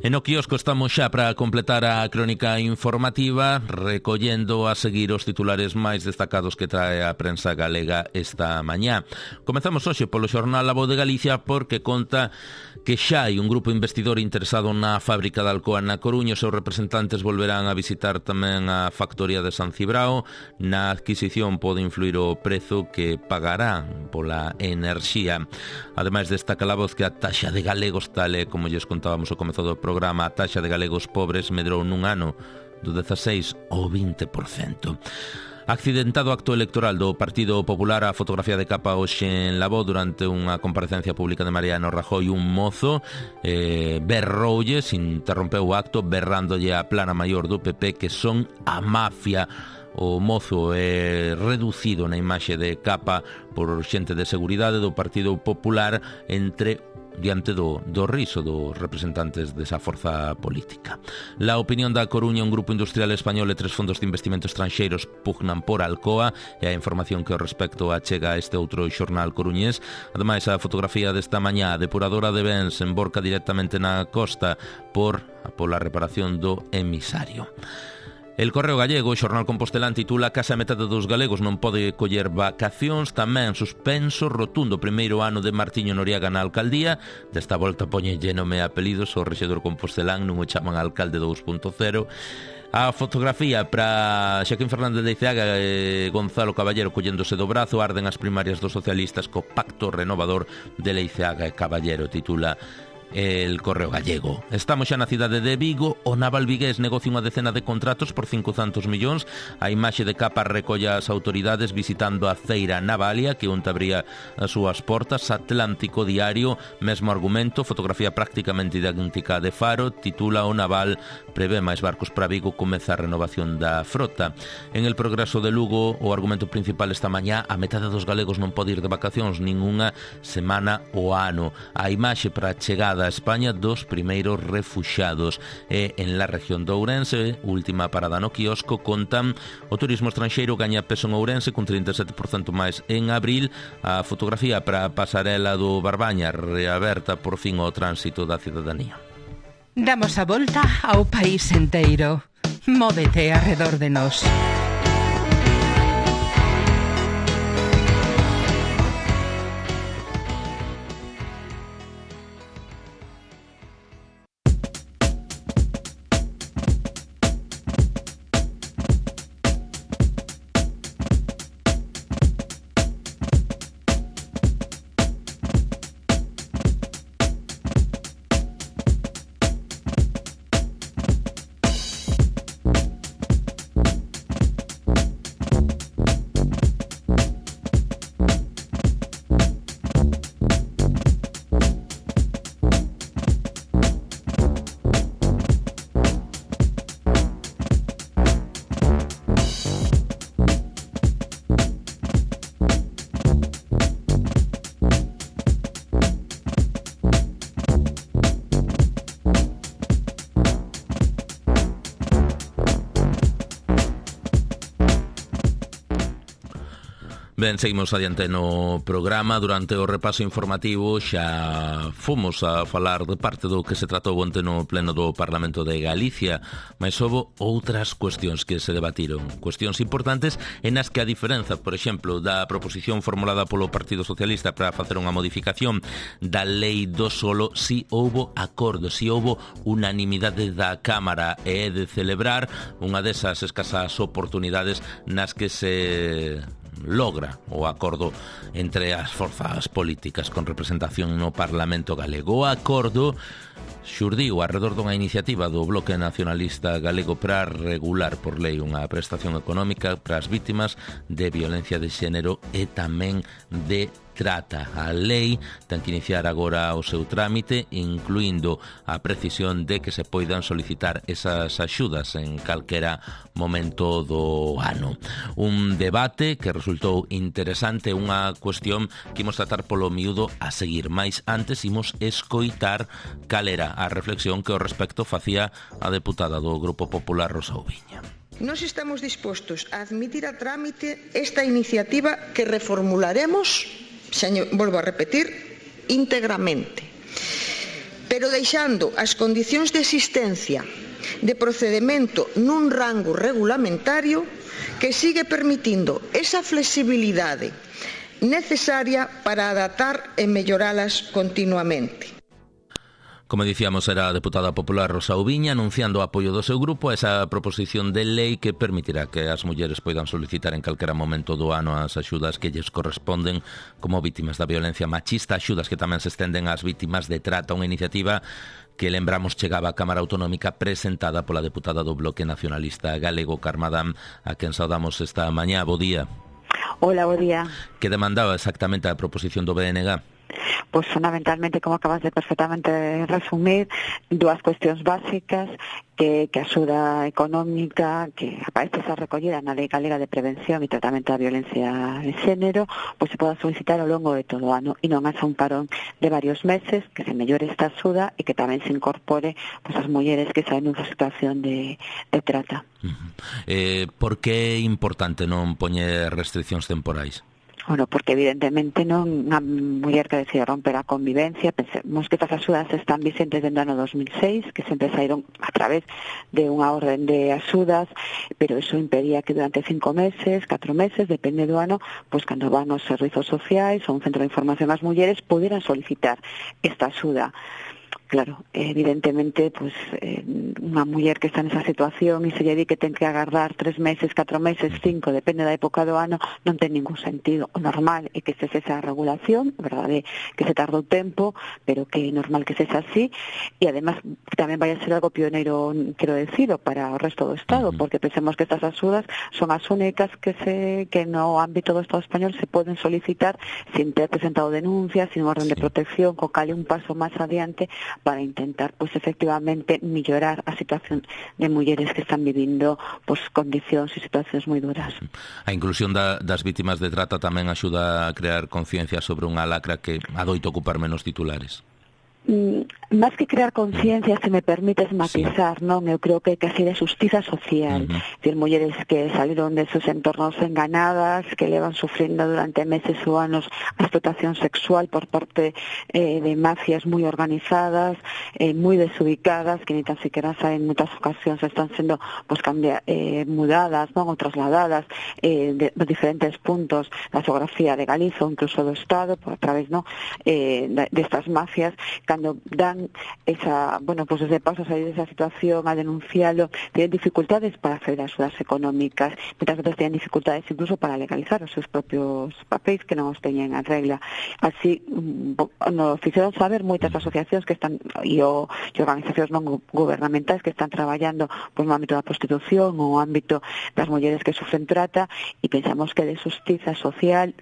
E no quiosco estamos xa para completar a crónica informativa, recollendo a seguir os titulares máis destacados que trae a prensa galega esta mañá. Comezamos hoxe polo xornal La Voz de Galicia porque conta que xa hai un grupo investidor interesado na fábrica de Alcoa na Coruña. Os seus representantes volverán a visitar tamén a factoría de San Cibrao. Na adquisición pode influir o prezo que pagarán pola enerxía. Ademais, destaca La Voz que a taxa de galegos, tal e como lles contábamos ao comezo do programa, a taxa de galegos pobres medrou nun ano do 16 ao 20%. Accidentado acto electoral do Partido Popular, a fotografía de capa hoxe en La Voz durante unha comparecencia pública de Mariano Rajoy. Un mozo berroulle, se interrompeu o acto berrándolle a plana maior do PP que son a mafia. O mozo é reducido na imaxe de capa por xente de seguridade do Partido Popular diante do riso dos representantes desa forza política. La Opinión da Coruña, un grupo industrial español e 3 fondos de investimento estranxeiros pugnan por Alcoa, e a información que ao respecto achega este outro xornal coruñés. Ademais, a fotografía desta mañá, a depuradora de bens emborca directamente na costa pola reparación do emisario. El Correo Gallego, o xornal compostelán, titula "Case a metade dos galegos non pode coller vacacións", tamén suspenso rotundo primeiro ano de Martiño Noriega na alcaldía. Desta volta poñenlle nome e apelidos, o rexedor compostelán non o chaman alcalde 2.0. A fotografía para Xaquín Fernández de Iceaga e Gonzalo Caballero colléndose do brazo. Arden as primarias dos socialistas co pacto renovador de Leiceaga e Caballero, titula El Correo Gallego. Estamos xa na cidade de Vigo. O naval vigués negocia unha decena de contratos por 500 millóns. A imaxe de capa recolla as autoridades visitando a feira Navalia, que onte abría as súas portas. Atlántico Diario, mesmo argumento, fotografía prácticamente idéntica de Faro, titula "O naval prevé máis barcos para Vigo, comeza a renovación da frota". En El Progreso de Lugo, o argumento principal esta mañá: a metade dos galegos non pode ir de vacacións ninguna semana o ano. A imaxe para a chegada a España dos primeiros refuxados. E en la región de Ourense, última parada no quiosco, contan o turismo estranxeiro gaña peso en Ourense cun 37% máis en abril. A fotografía para a pasarela do Barbaña, reaberta por fin ao tránsito da cidadanía. Damos a volta ao país enteiro. Móvete arredor de nós. Ben, seguimos adiante no programa. Durante o repaso informativo xa fomos a falar de parte do que se tratou onte no pleno do Parlamento de Galicia, mas houve outras cuestións que se debatiron, cuestións importantes en as que a diferenza, por exemplo, da proposición formulada polo Partido Socialista para facer unha modificación da lei do solo, si houve acordo, si houve unanimidade da Cámara, e é de celebrar unha desas escasas oportunidades nas que se logra o acordo entre as forzas políticas con representación no Parlamento galego. O acordo xurdiu arredor dunha iniciativa do Bloque Nacionalista Galego para regular por lei unha prestación económica para as vítimas de violencia de xénero e tamén de trata. A lei ten que iniciar agora o seu trámite, incluindo a precisión de que se poidan solicitar esas axudas en calquera momento do ano. Un debate que resultou interesante, unha cuestión que imos tratar polo miúdo a seguir, mais antes imos escoitar cal era a reflexión que ao respecto facía a deputada do Grupo Popular, Rosa Oubiña. Nós estamos dispostos a admitir a trámite esta iniciativa que reformularemos, volvo a repetir, íntegramente. pero deixando as condicións de existencia de procedemento nun rango regulamentario que sigue permitindo esa flexibilidade necesaria para adaptar e melloralas continuamente. Como dicíamos, era a deputada popular Rosa Ubiña anunciando o apoio do seu grupo a esa proposición de lei que permitirá que as mulleres poidan solicitar en calquera momento do ano as axudas que lles corresponden como vítimas da violencia machista, axudas que tamén se estenden ás vítimas de trata, unha iniciativa que, lembramos, chegaba á Cámara Autonómica presentada pola deputada do Bloque Nacionalista Galego, Carme Adán, a quen saudamos esta mañá. Bo día. Hola, bo día. Que demandaba exactamente a proposición do BNG? Pois fundamentalmente, como acabas de perfectamente resumir, dúas cuestións básicas, que a axuda económica que aparece esa recollida na Lei Galega de Prevención e Tratamento da Violencia de Xénero, pois se poda solicitar ao longo de todo o ano e non haxa un parón de varios meses, que se mellore esta axuda e que tamén se incorpore pois as mulleres que saen nunha situación de trata. Por que é importante non poñer restriccións temporais? Bueno, porque evidentemente non unha muller que decide romper a convivencia, pensemos que estas axudas están vigentes desde o ano 2006, que sempre saíron a través de unha orden de axudas, pero eso impedía que durante 5 meses, 4 meses, depende do ano, pois cando van aos servizos sociais ou un centro de información ás mulleres, pudieran solicitar esta axuda. Claro, evidentemente, pues unha muller que está nesa situación e se lle di que ten que agardar 3 meses, 4 meses, 5, depende da época do ano, non ten ningún sentido. O normal é que se esa regulación, verdade, que se tardou tempo, pero que é normal que se así, e además tamén vai a ser algo pioneiro, quero decirlo, para o resto do Estado, porque pensemos que estas axudas son as únicas que no ámbito do Estado español se poden solicitar sin ter presentado denuncias, sin orden de protección, co cal é un paso máis adiante para intentar, pues, efectivamente mellorar a situación de mulleres que están vivindo pues, condicións e situacións moi duras. A inclusión das vítimas de trata tamén axuda a crear conciencia sobre unha lacra que adoito ocupar menos titulares. Más que crear conciencia, se me permites matizar, non? Eu creo que casi de justiza social. Decir, mulleres que salieron de sus entornos enganadas, que levan sufriendo durante meses ou anos a explotación sexual por parte de mafias moi organizadas, moi desubicadas, que ni tan siquiera saben, en muchas ocasiones están sendo pues, mudadas, non? Ou trasladadas de diferentes puntos da xeografía de Galiza ou incluso do Estado, por a través de estas mafias, cando dan esa, bueno, pues desde paso a salir de esa situación, a denunciarlo, tienen dificultades para hacer axudas económicas, muchas veces tienen dificultades incluso para legalizar os seus propios papéis que non os teñen en regla. Así, nos fixeron saber moitas asociacións que están e organizacións non gubernamentais que están traballando pues, no ámbito da prostitución ou no ámbito das mulleres que sufren trata, e pensamos que de justiza social,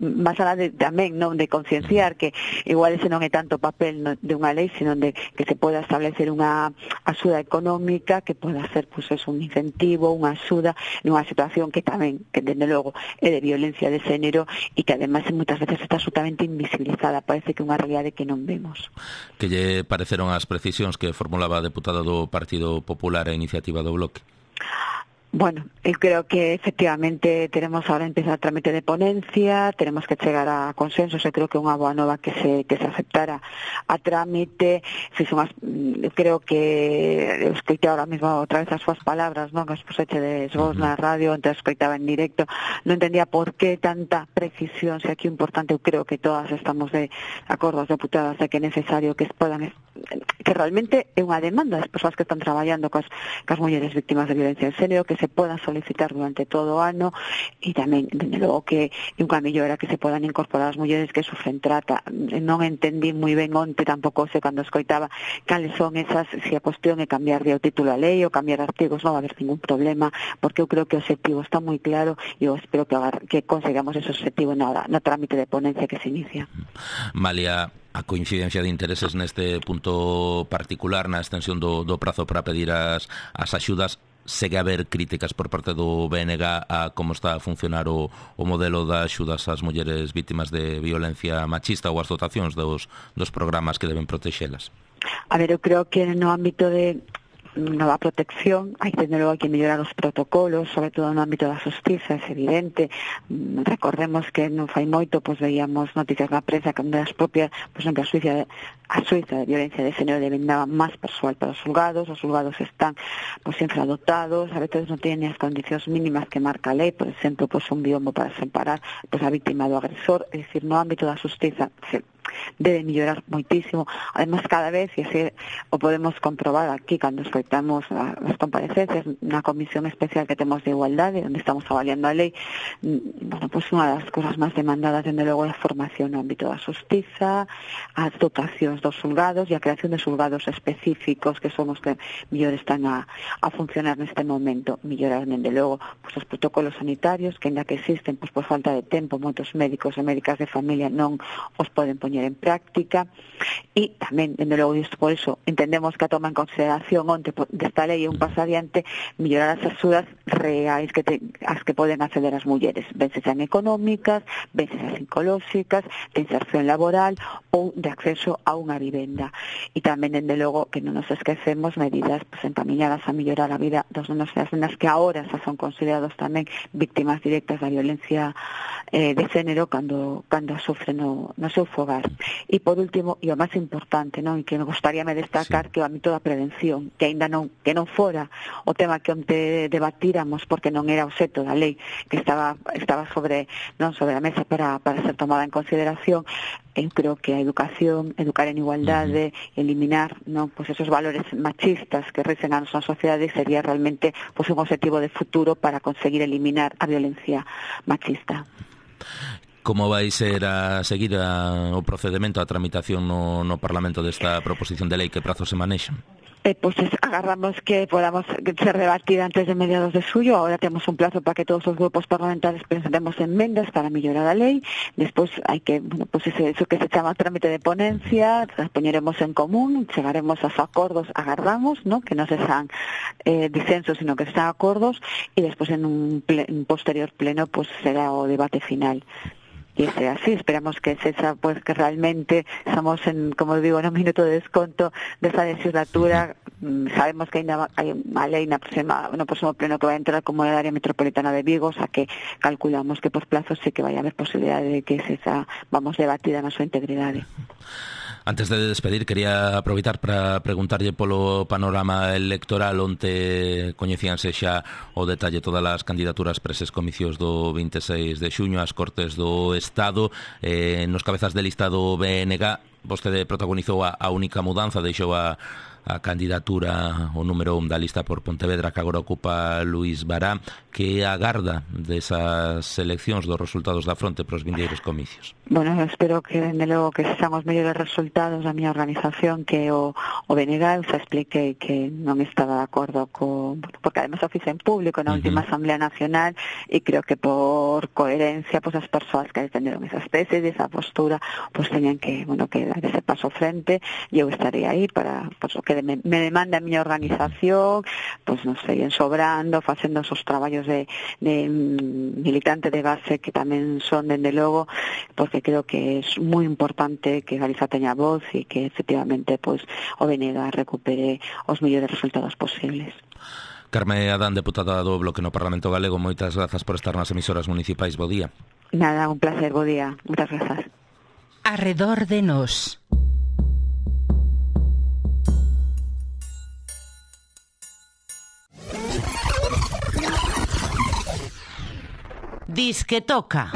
máis alá de tamén non de concienciar que igual ese non é tanto papel de unha lei, sino de que se poda establecer unha axuda económica que poda ser pues, un incentivo, unha axuda nunha situación que tamén, que desde logo é de violencia de xénero e que ademais moitas veces está absolutamente invisibilizada, parece que é unha realidade que non vemos. Que lle pareceron as precisións que formulaba a deputada do Partido Popular a iniciativa do Bloque? Bueno, eu creo que efectivamente tenemos ahora empezar a trámite de ponencia, tenemos que chegar a consensos, eu creo que é unha boa nova que se aceptara a trámite, creo que eu escoitei ahora mismo outra vez as súas palabras, non, que as puseche de vos na radio, antes escoitaba en directo, non entendía por que tanta precisión, se aquí é importante, eu creo que todas estamos de acordo, as deputadas, de que é necesario que podan, que realmente é unha demanda das persoas que están traballando cas mulleres víctimas de violencia de xénero, que se podan solicitar durante todo o ano, e tamén, dende logo, que é unha mellora que se podan incorporar as mulleres que sufren trata. Non entendí moi ben onte, tampouco sei cando escoitaba cales son esas, se a cuestión é cambiar o título a lei ou cambiar artigos, non va a haber ningún problema, porque eu creo que o objetivo está moi claro e eu espero que consigamos ese objetivo no trámite de ponencia que se inicia. Malia, a coincidencia de intereses neste punto particular, na extensión do prazo para pedir as axudas, segue a haber críticas por parte do BNG a como está a funcionar o modelo das axudas ás mulleres vítimas de violencia machista ou as dotacións dos programas que deben protexelas? A ver, eu creo que no ámbito de nova protección, hai desde logo que mellorar os protocolos, sobre todo no ámbito da xustiza, é evidente. Recordemos que non fai moito, pois veíamos noticias na prensa que as propias, por exemplo, a Suiza de violencia de género demandaba máis persoal para os xulgados están pois infradotados, a veces non teñen as condicións mínimas que marca a lei, por exemplo, pois un biombo para separar pois a víctima do agresor, é dicir, no ámbito da xustiza debe mellorar moitísimo. Además, cada vez, e así o podemos comprobar aquí cando escoitamos as comparecencias na comisión especial que temos de igualdade, onde estamos avaliando a lei, bueno, pois unha das cousas máis demandadas, dende logo, é a formación no ámbito da xustiza, as dotacións dos xulgados e a creación de xulgados específicos que son os que mellor están a funcionar neste momento. Mellorar, dende logo, pois os protocolos sanitarios, que ainda que existen, pois por falta de tempo, moitos médicos e médicas de familia non os poden poñer en práctica, e tamén, dende logo, isto por iso entendemos que a toma en consideración onte desta lei é un paso adiante, mellorar as axudas reais as que poden acceder as mulleres, ben sean económicas, ben sean psicolóxicas, de inserción laboral ou de acceso a unha vivenda. E tamén, dende logo, que non nos esquecemos medidas pues, encaminadas a mellorar a vida dos nenos e as nenas que agora xa son considerados tamén víctimas directas da violencia de género cando a sufren no seu fogar. E por último, e o máis importante, non, e que me gustaríame destacar, que o ámbito da prevención, que aínda non fora o tema que onte debatíramos, porque non era o obxecto da lei, que estaba sobre a mesa para ser tomada en consideración. Eu creo que a educación, educar en igualdade, eliminar, non, pois esos valores machistas que rixen a nosa sociedade sería realmente pois un obxectivo de futuro para conseguir eliminar a violencia machista. Como vai ser a seguir o procedemento, a tramitación no Parlamento desta proposición de lei? Que prazos se manexan? Pois agarramos que podamos ser debatida antes de mediados de xullo. Agora temos un plazo para que todos os grupos parlamentarios presentemos enmendas para mellorar a lei. Despois hai que, bueno, pois eso que se chama trámite de ponencia, las poñeremos en común, chegaremos aos acordos, agardamos, ¿no? Que non se sean disensos, sino que sean acordos, e despois en un posterior pleno pois será o debate final. E é así, esperamos que sexa, pues, que realmente estamos en, como digo, en un minuto de desconto desa legislatura. Sabemos que ainda hai unha lei no próximo pleno que vai entrar como a área metropolitana de Vigo, o sea que calculamos que por plazos sí que vai haber posibilidade de que sexa, vamos, debatida na súa integridade. Antes de despedir, quería aproveitar para preguntarlle polo panorama electoral, onde coñecíanse xa o detalle todas as candidaturas para eses comicios do 26 de xuño ás Cortes do Estado. Nos cabezas de lista do BNG, vostede protagonizou a única mudanza, deixou a candidatura o número 1 da lista por Pontevedra, que agora ocupa Luís Bará, que agarda desas eleccións, dos resultados da fronte para os vindeiros comicios. Bueno, espero que, dende logo, que sexan os mellores resultados da miña organización, que o BNG. Xa expliquei que non estaba de acordo porque además o fixe en público na última Asamblea Nacional, e creo que por coherencia, pues, as persoas que defenderon esas tesis e esa postura, pues teñan que, bueno, que dar ese paso frente, e eu estarei aí para, pues, o que me demanda a miña organización, pues, non sei, ensobrando, facendo esos traballos de militante de base que tamén son, dende logo, porque creo que é moi importante que Galiza teña voz e que efectivamente, pues, o BNG recupere os mellores resultados posibles. Carme Adán, deputada do Bloque no Parlamento Galego, moitas grazas por estar nas emisoras municipais. Bo día. Nada, un placer, bo día. Moitas grazas. Arredor de nós. Disque toca.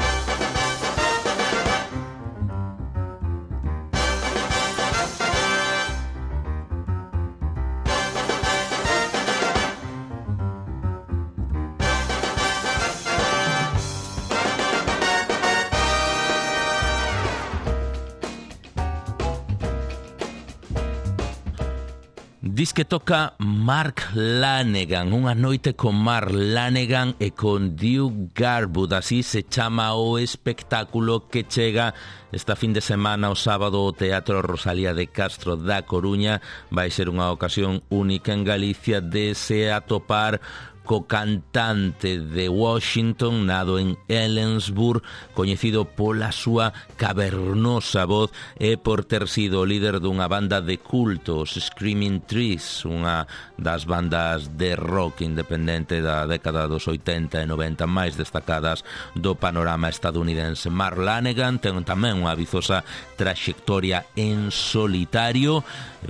Dis que toca Mark Lanegan, unha noite con Mark Lanegan e con Duke Garwood, así se chama o espectáculo que chega esta fin de semana o sábado ao Teatro Rosalía de Castro da Coruña. Vai ser unha ocasión única en Galicia de se atopar co cantante de Washington, nado en Ellensburg, coñecido pola súa cavernosa voz e por ter sido o líder dunha banda de culto, os Screaming Trees, unha das bandas de rock independente da década dos 80 e 90 máis destacadas do panorama estadounidense. Mark Lanegan ten tamén unha vizosa traxectoria en solitario,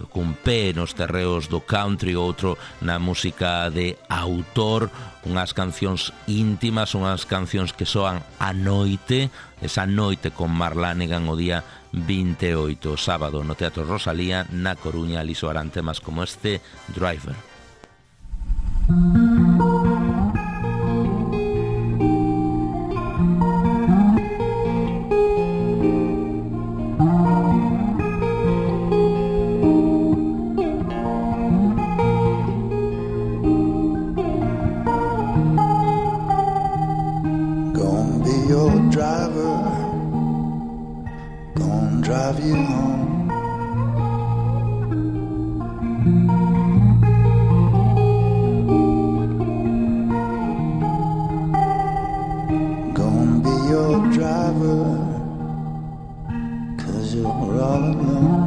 cun pé nos terreos do country, outro na música de autor, unhas cancións íntimas, unhas cancións que soan a noite, esa noite con Mark Lanegan o día 28, sábado, no Teatro Rosalía, na Coruña. Ali soarán temas como este, Driver. Drive you home. Gonna be your driver, 'cause you're all alone.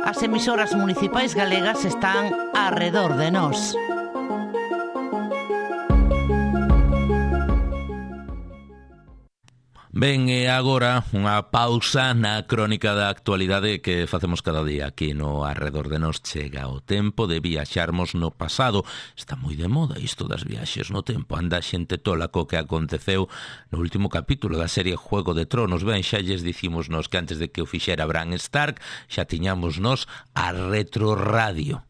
As emisoras municipais galegas están arredor de nós. Ben, e agora unha pausa na crónica da actualidade que facemos cada día aquí no Arredor de Nós. Chega o tempo de viaxarmos no pasado. Está moi de moda isto das viaxes no tempo. Anda xente tola co que aconteceu no último capítulo da serie Juego de Tronos. Ben, xa lles dicimos nos que antes de que o fixera Bran Stark xa tiñamos nos a Retro Radio.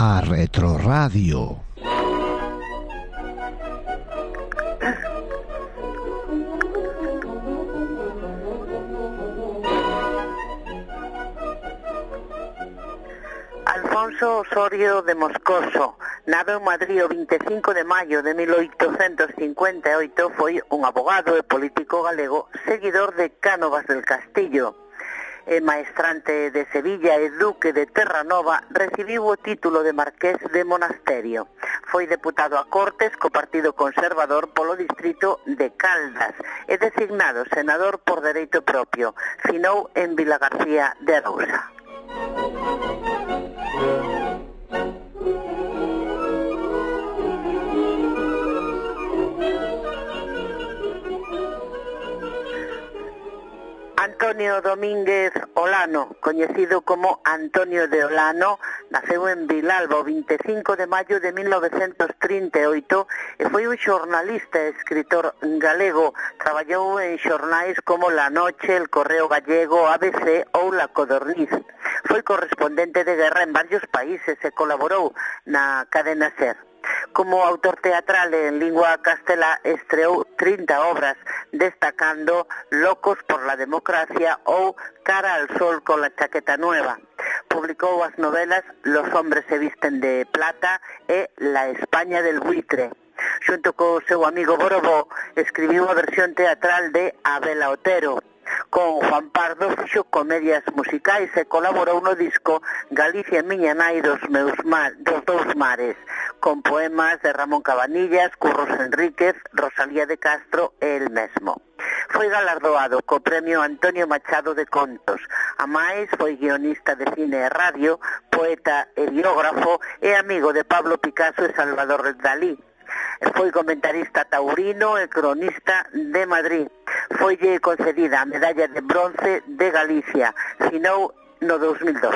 a Retroradio. Alfonso Osorio de Moscoso, nado en Madrid o 25 de maio de 1858, foi un abogado e político galego, seguidor de Cánovas del Castillo. Maestrante de Sevilla e duque de Terranova, recibiu o título de marqués de Monasterio. Foi deputado a Cortes co Partido Conservador polo distrito de Caldas e designado senador por dereito propio. Finou en Vilagarcía de Arousa. Antonio Domínguez Olano, coñecido como Antonio de Olano, naceu en Vilalba o 25 de maio de 1938 e foi un xornalista e escritor galego. Traballou en xornais como La Noche, El Correo Gallego, ABC ou La Codorniz. Foi correspondente de guerra en varios países e colaborou na cadena SER. Como autor teatral en lingua castelá estreou 30 obras, destacando Locos por la democracia ou Cara al sol con la chaqueta nueva. Publicou as novelas Los hombres se visten de plata e La España del buitre. Xunto co seu amigo Borobó, escribiu a versión teatral de Abela Otero. Con Juan Pardo fixo comedias musicais e colaborou no disco Galicia miña nai dos dous mares, con poemas de Ramón Cabanillas, Curros Enríquez, Rosalía de Castro e el mesmo. Foi galardoado co premio Antonio Machado de Contos. A máis foi guionista de cine e radio, poeta e biógrafo e amigo de Pablo Picasso e Salvador Dalí. Foi comentarista taurino e cronista de Madrid. Foille concedida a medalla de bronce de Galicia. Finou no 2012.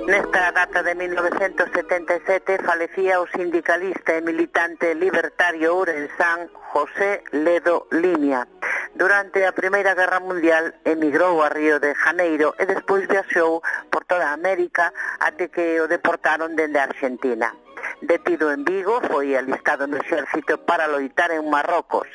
Nesta data de 1977 falecía o sindicalista e militante libertario ourensán José Ledo Limia. Durante a Primeira Guerra Mundial emigrou a Río de Janeiro e despois viaxou por toda América até que o deportaron dende Argentina. Detido en Vigo, foi alistado no exército para loitar en Marrocos.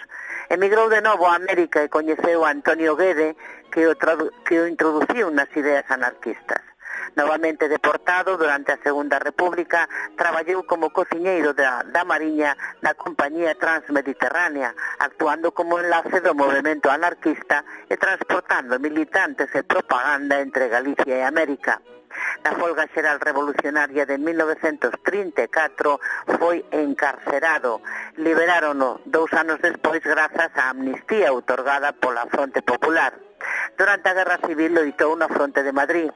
Emigrou de novo a América e coñeceu a Antonio Guede, que o introduciu nas ideas anarquistas. Novamente deportado durante a Segunda República, traballou como cociñeiro da Mariña na Compañía Transmediterránea, actuando como enlace do movemento anarquista e transportando militantes e propaganda entre Galicia e América. Na folga xeral revolucionaria de 1934 foi encarcerado. Liberárono 2 anos despois grazas á amnistía outorgada pola Fronte Popular. Durante a Guerra Civil loitou na Fronte de Madrid.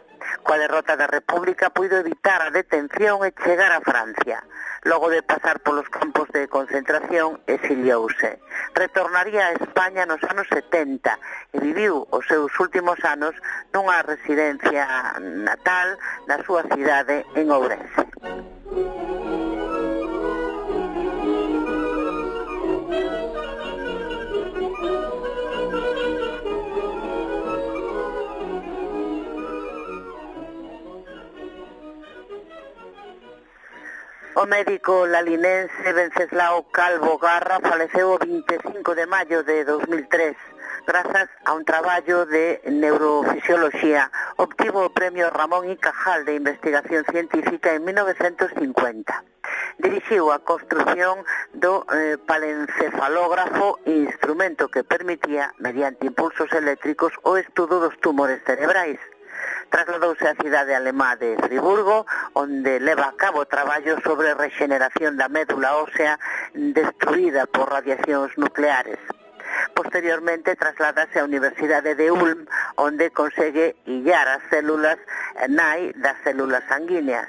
Coa derrota da República puido evitar a detención e chegar a Francia. Logo de pasar polos campos de concentración, exiliouse. Retornaría a España nos anos 70 e viviu os seus últimos anos nunha residencia natal na súa cidade en Ourense. O médico lalinense Venceslao Calvo Garra faleceu o 25 de maio de 2003. Grazas a un traballo de neurofisioloxía, obtivo o premio Ramón y Cajal de Investigación Científica en 1950. Dirixiu a construción do palencefalógrafo, instrumento que permitía, mediante impulsos eléctricos, o estudo dos tumores cerebrais. Trasladouse á cidade alemá de Friburgo, onde leva a cabo traballo sobre regeneración da médula ósea destruída por radiacións nucleares. Posteriormente trasladase á Universidade de Ulm, onde consegue illar as células nai das células sanguíneas.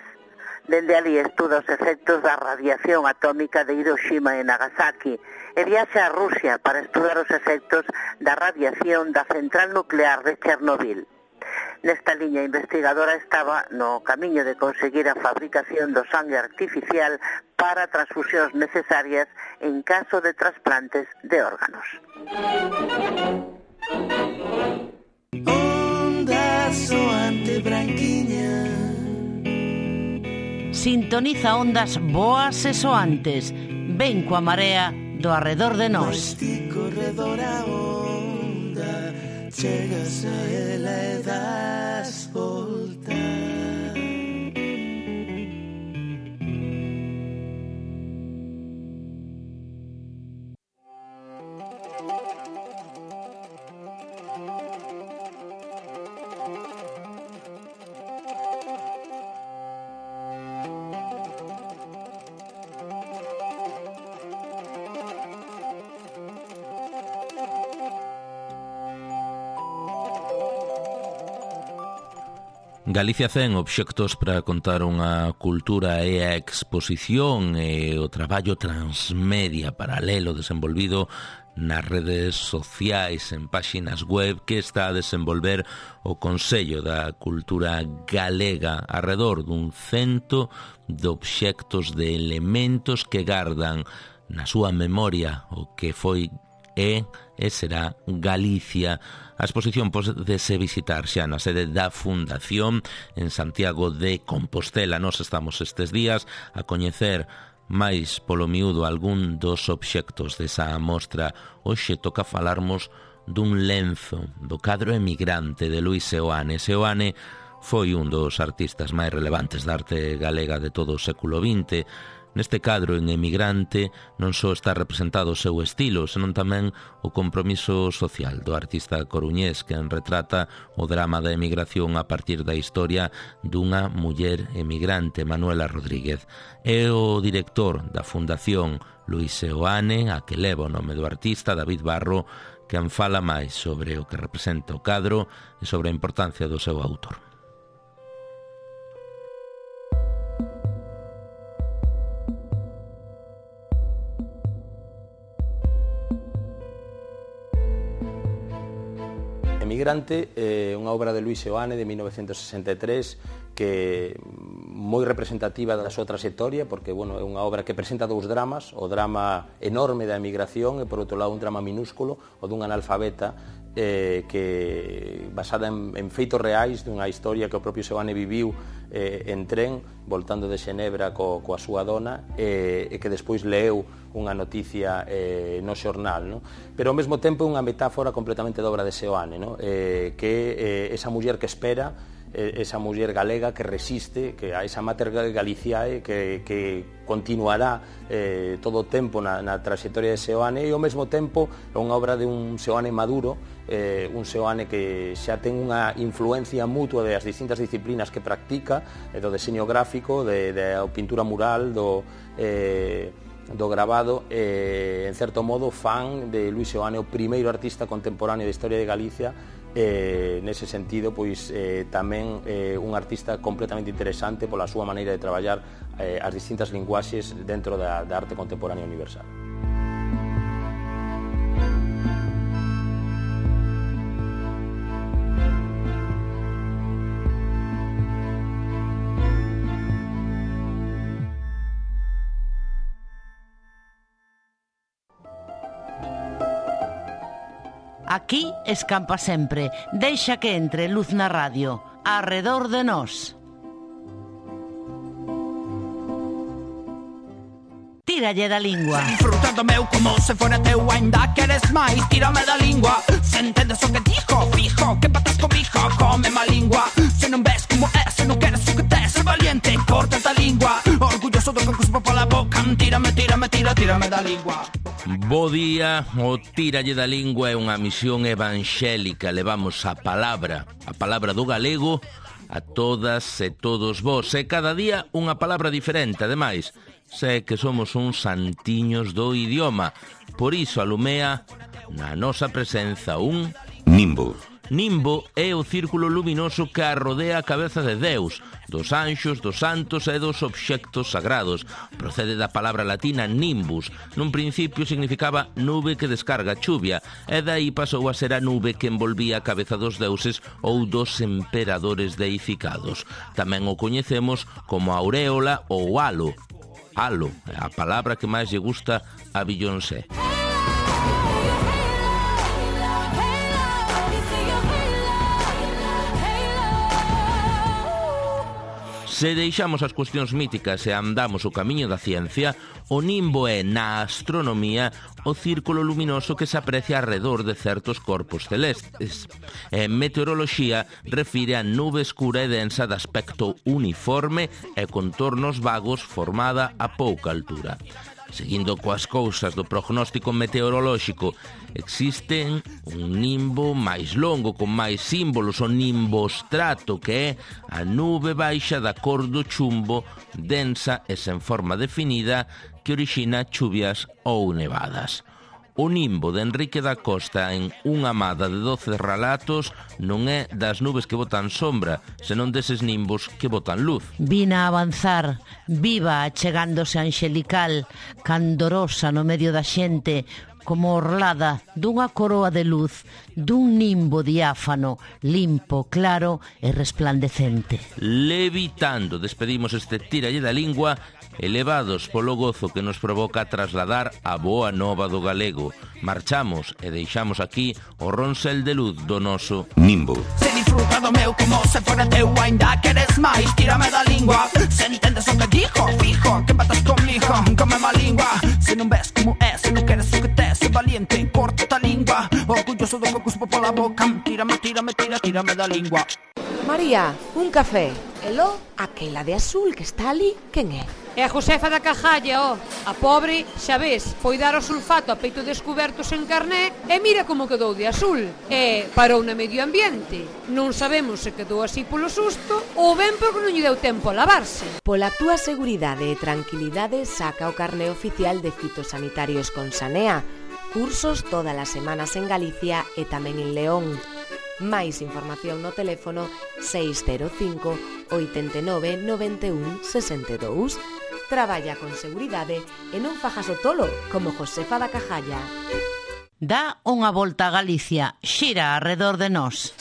Dende ali estuda os efectos da radiación atómica de Hiroshima e Nagasaki e viaxa a Rusia para estudar os efectos da radiación da central nuclear de Chernobyl. Nesta liña investigadora estaba no camiño de conseguir a fabricación do sangue artificial para transfusións necesarias en caso de trasplantes de órganos. Onda soante branquiña, sintoniza ondas boas e soantes. Ven coa marea do arredor de nós. corredor a onda, chegas a ela e das volta. Galicia 100 obxectos para contar unha cultura e a exposición e o traballo transmedia paralelo desenvolvido nas redes sociais en páxinas web que está a desenvolver o Consello da Cultura Galega arredor dun 100 de obxectos de elementos que gardan na súa memoria o que foi e será Galicia. A exposición podese visitar xa na sede da Fundación en Santiago de Compostela. Nós estamos estes días a coñecer máis polo miúdo algún dos obxectos desa mostra. Hoxe toca falarmos dun lenzo do cadro Emigrante de Luis Seoane. Seoane foi un dos artistas máis relevantes da arte galega de todo o século XX. Neste cadro en Emigrante non só está representado o seu estilo, senón tamén o compromiso social do artista coruñés que retrata o drama da emigración a partir da historia dunha muller emigrante, Manuela Rodríguez. É o director da Fundación Luis Seoane, a que leva o nome do artista, David Barro, que en fala máis sobre o que representa o cadro e sobre a importancia do seu autor. Emigrante é unha obra de Luis Seoane de 1963 que moi representativa da súa trayectoria porque é unha obra que presenta dous dramas, o drama enorme da emigración e por outro lado un drama minúsculo, o dun analfabeta que basada en feitos reais dunha historia que o propio Seoane viviu en tren voltando de Xenebra coa súa dona e que despois leu unha noticia no xornal, no? Pero ao mesmo tempo é unha metáfora completamente da obra de Seoane, no? Que esa muller que espera, esa muller galega que resiste, que a esa mater galiciae que continuará todo o tempo na trayectoria de Seoane e ao mesmo tempo é unha obra de un Seoane maduro, un Seoane que xa ten unha influencia mutua das distintas disciplinas que practica, do deseño gráfico, da pintura mural, do grabado, en certo modo fan de Luis Seoane o primeiro artista contemporáneo da historia de Galicia. Nese sentido, pois tamén un artista completamente interesante pola súa maneira de traballar as distintas linguaxes dentro da arte contemporánea universal. Aquí escampa sempre, deixa que entre luz na radio, arredor de nós. Tíralle da lingua. Disfrutando meu como se fora teu, ainda queres máis, tírame da lingua. Se entendes o que dijo, fijo, que patas comigo, come má lingua. Se non ves como é, se non queres o que tes, ser valiente, corta da lingua. Orgulloso do que cuspo pola boca, tírame da lingua. Bo día, o Tíralle da Lingua é unha misión evangélica. Levamos a palabra do galego a todas e todos vos. E cada día unha palabra diferente. Ademais, sei que somos uns santiños do idioma. Por iso alumea na nosa presenza un nimbo. Nimbo é o círculo luminoso que arrodea a cabeza de Deus, dos anxos, dos santos e dos obxectos sagrados. Procede da palabra latina nimbus. Nun principio significaba nube que descarga chuvia, e dai pasou a ser a nube que envolvía a cabeza dos deuses ou dos emperadores deificados. Tamén o coñecemos como auréola ou halo. Halo é a palabra que máis lle gusta a Beyoncé. Se deixamos as cuestións míticas e andamos o camiño da ciencia, o nimbo é, na astronomía, o círculo luminoso que se aprecia arredor de certos corpos celestes. En meteoroloxía, refire a nube escura e densa de aspecto uniforme e contornos vagos formada a pouca altura. Seguindo coas cousas do prognóstico meteorolóxico, existen un nimbo máis longo, con máis símbolos, o nimbostrato, que é a nube baixa da cor do chumbo, densa e sen forma definida, que orixina chuvias ou nevadas. O nimbo de Enrique da Costa en Unha amada de 12 relatos non é das nubes que botan sombra, senón deses nimbos que botan luz. Vina a avanzar, viva, achegándose angelical, candorosa no medio da xente, como orlada dunha coroa de luz, dun nimbo diáfano, limpo, claro e resplandecente. Levitando, despedimos este Tíralle da Lingua, elevados polo gozo que nos provoca trasladar a boa nova do galego. Marchamos e deixamos aquí o ronsel de luz do noso nimbo. Se disfruta do meu como se fora teu, ainda queres máis, tírame da lingua. Se entendes o que dijo, fijo, que empatas comigo, come má lingua. Se non ves como é, se non queres o que tes, se valiente, corta a lingua. Orgulloso do que cuspo pola boca, tírame da lingua. María, un café. Elo, aquela de azul que está ali, quen é? É a Josefa da Cajalla, A pobre, xa ves, foi dar o sulfato a peito descubertos en carné e mira como quedou de azul. E parou na medio ambiente. Non sabemos se quedou así polo susto ou ben porque non lle deu tempo a lavarse. Pola túa seguridade e tranquilidade, saca o carné oficial de fitosanitarios con Sanea. Cursos todas as semanas en Galicia e tamén en León. Máis información no teléfono 605 89 91 62. Traballa con seguridade e non fajas o tolo como Josefa da Cajalla. Dá unha volta a Galicia, xira arredor de nós.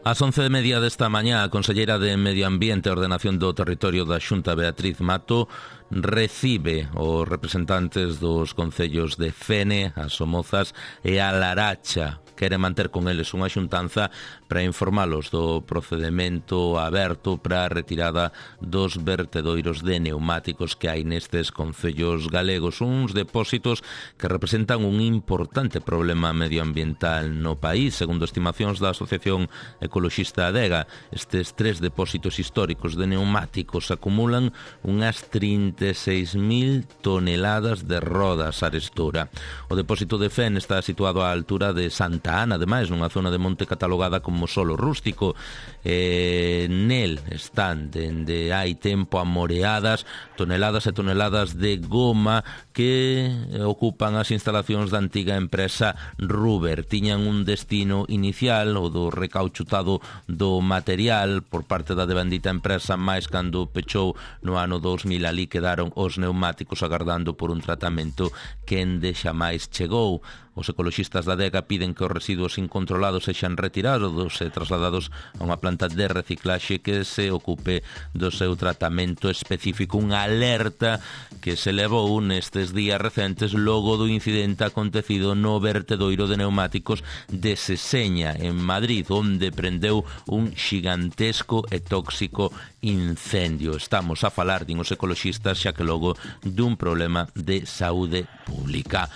Ás 11:30 desta mañá, a conselleira de Medio Ambiente e Ordenación do Territorio da Xunta, Beatriz Mato, recibe os representantes dos concellos de Fene, as Somozas e a Laracha. Quere manter con eles unha xuntanza para informalos do procedemento aberto para a retirada dos vertedoiros de neumáticos que hai nestes concellos galegos, uns depósitos que representan un importante problema medioambiental no país. Segundo estimacións da Asociación Ecoloxista Adega, estes 3 depósitos históricos de neumáticos acumulan unhas 36.000 toneladas de rodas arestora. O depósito de Fen está situado á altura de Santa Ana, ademais, nunha zona de monte catalogada como solo rústico. Nel están dende hai tempo amoreadas toneladas e toneladas de goma que ocupan as instalacións da antiga empresa Ruber. Tiñan un destino inicial, o do recauchutado do material por parte da devandita empresa, máis cando pechou no ano 2000. Ali quedaron os neumáticos agardando por un tratamento que ende xa máis chegou. Os ecoloxistas da Adega piden que os residuos incontrolados sexan retirados e trasladados a unha planta de reciclaxe que se ocupe do seu tratamento específico. Unha alerta que se levou nestes días recentes logo do incidente acontecido no vertedoiro de neumáticos de Seseña, en Madrid, onde prendeu un xigantesco e tóxico incendio. Estamos a falar, din os ecoloxistas, xa que logo dun problema de saúde pública.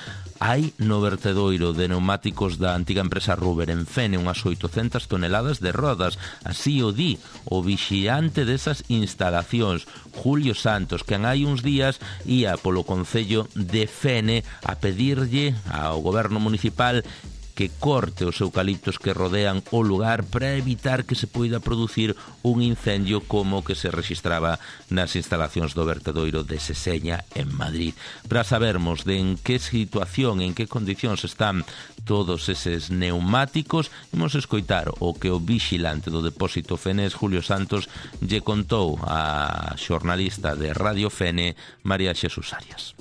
Hai no vertedoiro de neumáticos da antiga empresa Ruber en Fene unhas 800 toneladas de rodas. Así o di o vixiante desas instalacións, Julio Santos, que hai uns días ia polo concello de Fene a pedirlle ao goberno municipal que corte os eucaliptos que rodean o lugar para evitar que se poida producir un incendio como o que se registraba nas instalacións do vertedoiro de Seseña en Madrid. Para sabermos de en que situación, en que condicións están todos eses neumáticos, imos escoitar o que o vigilante do depósito Fenés, Julio Santos, lle contou a xornalista de Radio Fene, María Xesús Arias.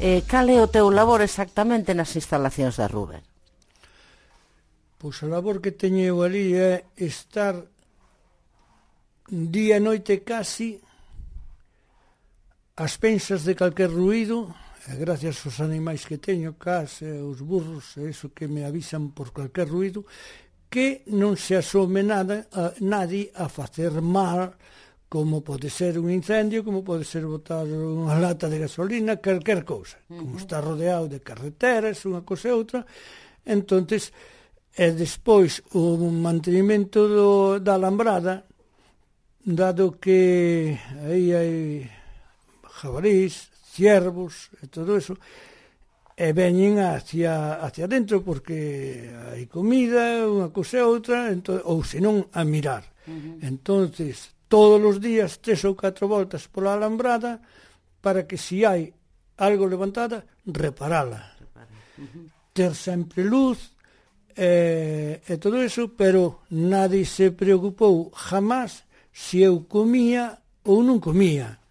Cal é o teu labor exactamente nas instalacións da Ruber? Pois o labor que teño eu ali é estar día e noite casi ás pensas de calquer ruído, e gracias aos animais que teño, cas, os burros, e iso que me avisan por calquer ruído, que non se asome nadie a facer mal, como pode ser un incendio, como pode ser botar unha lata de gasolina, calquer cousa. Como está rodeado de carreteras, unha cousa e outra, entonces, e despois o mantenimento da alambrada, dado que aí hai jabalís, ciervos e todo eso, e veñen hacia dentro porque hai comida, unha cousa e outra, ou senón a mirar. Entonces, todos os días 3 ou 4 voltas pola alambrada para que se hai algo levantada, reparala. Ter sempre luz e todo eso, pero nadie se preocupou jamás se eu comía ou non comía.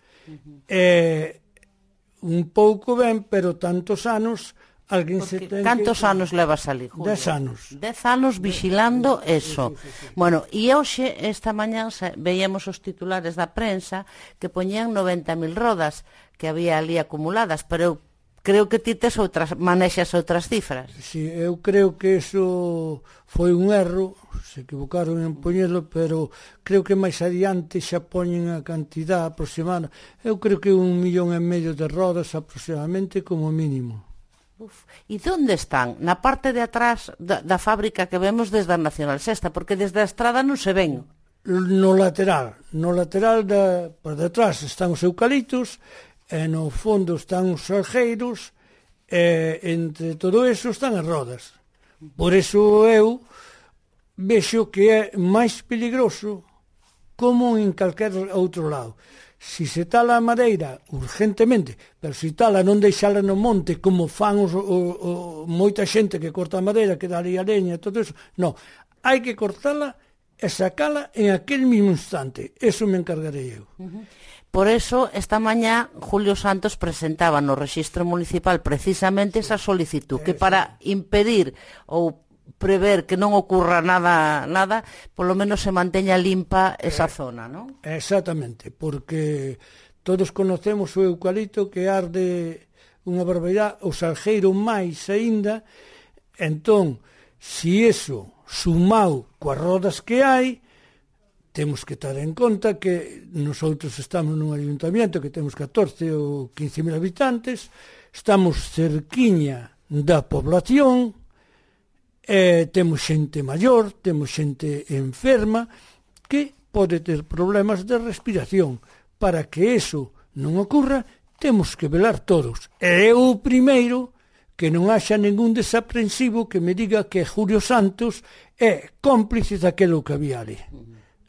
Un pouco ben, pero tantos anos alguén se ten. Cantos anos levas ali, Julio? 10 anos. 10 anos vigilando eso. Bueno, e hoxe, esta mañá, veíamos os titulares da prensa que poñían 90.000 rodas que había ali acumuladas, pero eu creo que ti manexas outras cifras. Sí, eu creo que eso foi un erro, se equivocaron en poñelo, pero creo que máis adiante xa poñen a cantidad aproximada. Eu creo que 1,5 millón de rodas aproximadamente como mínimo. E onde están? Na parte de atrás da fábrica que vemos desde a Nacional Sexta, porque desde a estrada non se ven. No lateral por detrás están os eucaliptos, e no fondo están os salgueiros, e entre todo eso están as rodas. Por eso eu vexo que é máis peligroso como en calquer outro lado. Si se tala a madeira urgentemente, pero si tala non deixala no monte como fan moita xente que corta a madeira, que dá ali a leña e todo eso, non, hai que cortala e sacala en aquel mismo instante. Eso me encargarei eu. Por eso, esta mañá, Julio Santos presentaba no Rexistro Municipal precisamente esa solicitud, que para impedir ou prever que non ocurra nada, polo menos se manteña limpa esa zona, non? Exactamente, porque todos conocemos o eucalipto que arde unha barbaridade, o salgueiro máis aínda, entón, si eso sumado coas rodas que hai, temos que ter en conta que nosotros estamos nun ayuntamiento que temos 14 ou 15.000 habitantes, estamos cerquiña da población, temos xente maior, temos xente enferma que pode ter problemas de respiración. Para que eso non ocurra, temos que velar todos. E eu o primeiro que non haxa ningún desaprensivo que me diga que Julio Santos é cómplice daquilo que había ali.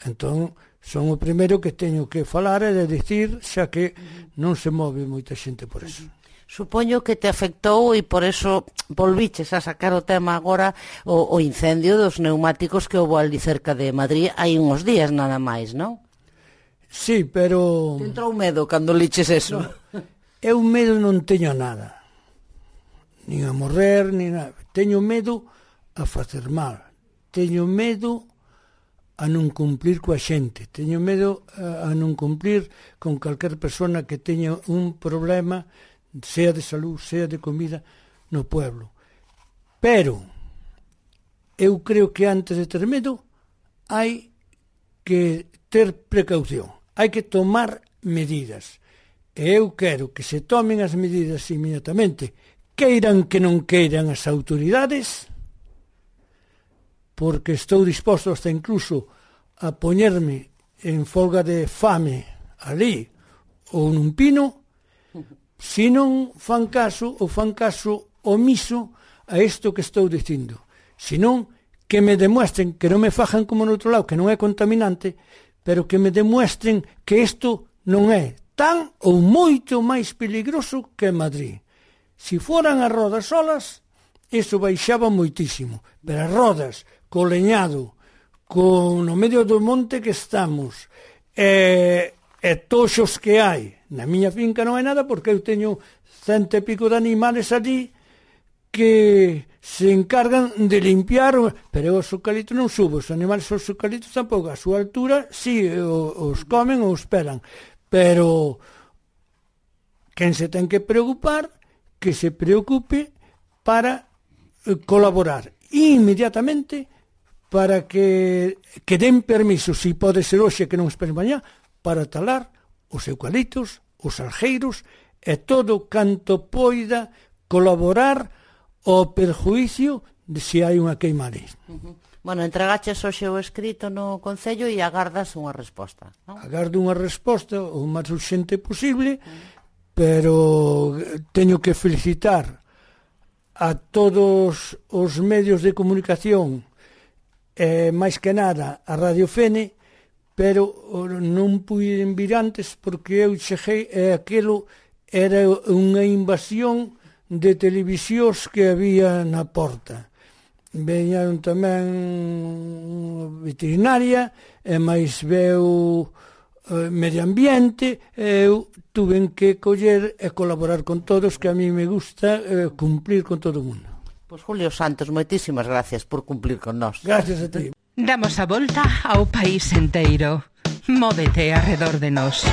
Entón, son o primeiro que teño que falar e de dicir, xa que non se move moita xente por eso. Supoño que te afectou e por eso volviches a sacar o tema agora o incendio dos neumáticos que houve ali cerca de Madrid hai uns días nada máis, non? Sí, pero... Te entrou medo cando liches eso? No, eu medo non teño nada. Nin a morrer, nin nada. Teño medo a facer mal. Teño medo a non cumplir coa xente. Teño medo a non cumplir con calquer persona que teña un problema, sea de salud, sea de comida, no pueblo. Pero eu creo que antes de ter medo hai que ter precaución. hai que tomar medidas. E eu quero que se tomen as medidas inmediatamente, queiran que non queiran as autoridades, porque estou disposto hasta incluso a poñerme en folga de fame ali ou nun pino, se non fan caso ou fan caso omiso a isto que estou dicindo. Senón, que me demuestren, que non me fajan como no outro lado, que non é contaminante, pero que me demuestren que isto non é tan ou moito máis peligroso que Madrid. Se foran as rodas solas, iso baixaba moitísimo, pero as rodas, co leñado, no medio do monte que estamos, e toxos que hai, na miña finca non hai nada, porque eu teño 100 e pico de animales allí que se encargan de limpiar, pero os eucaliptos non subo, os animales os eucaliptos tampouco, a súa altura si os comen ou os pelan, pero quen se ten que preocupar, que se preocupe para colaborar inmediatamente para que den permiso, se pode ser hoxe que non esperen mañá, para talar os eucaliptos, os algeiros e todo canto poida colaborar ao perjuicio de se hai unha queima ali. Bueno, entregaches hoxe o escrito no Concello e agardas unha resposta, non? Agardo unha resposta o máis urxente posible, pero teño que felicitar a todos os medios de comunicación, máis que nada a Radio Fene, pero non puiden vir antes porque eu cheguei e aquilo era unha invasión de televisións que había na porta. Veñaron tamén veterinaria e máis veu medio ambiente, eu tuven que coller e colaborar con todos, que a mí me gusta cumplir con todo o mundo. Pois Julio Santos, moitísimas gracias por cumplir con nós. Gracias a ti. Damos a volta ao país enteiro. Móvete arredor de nós.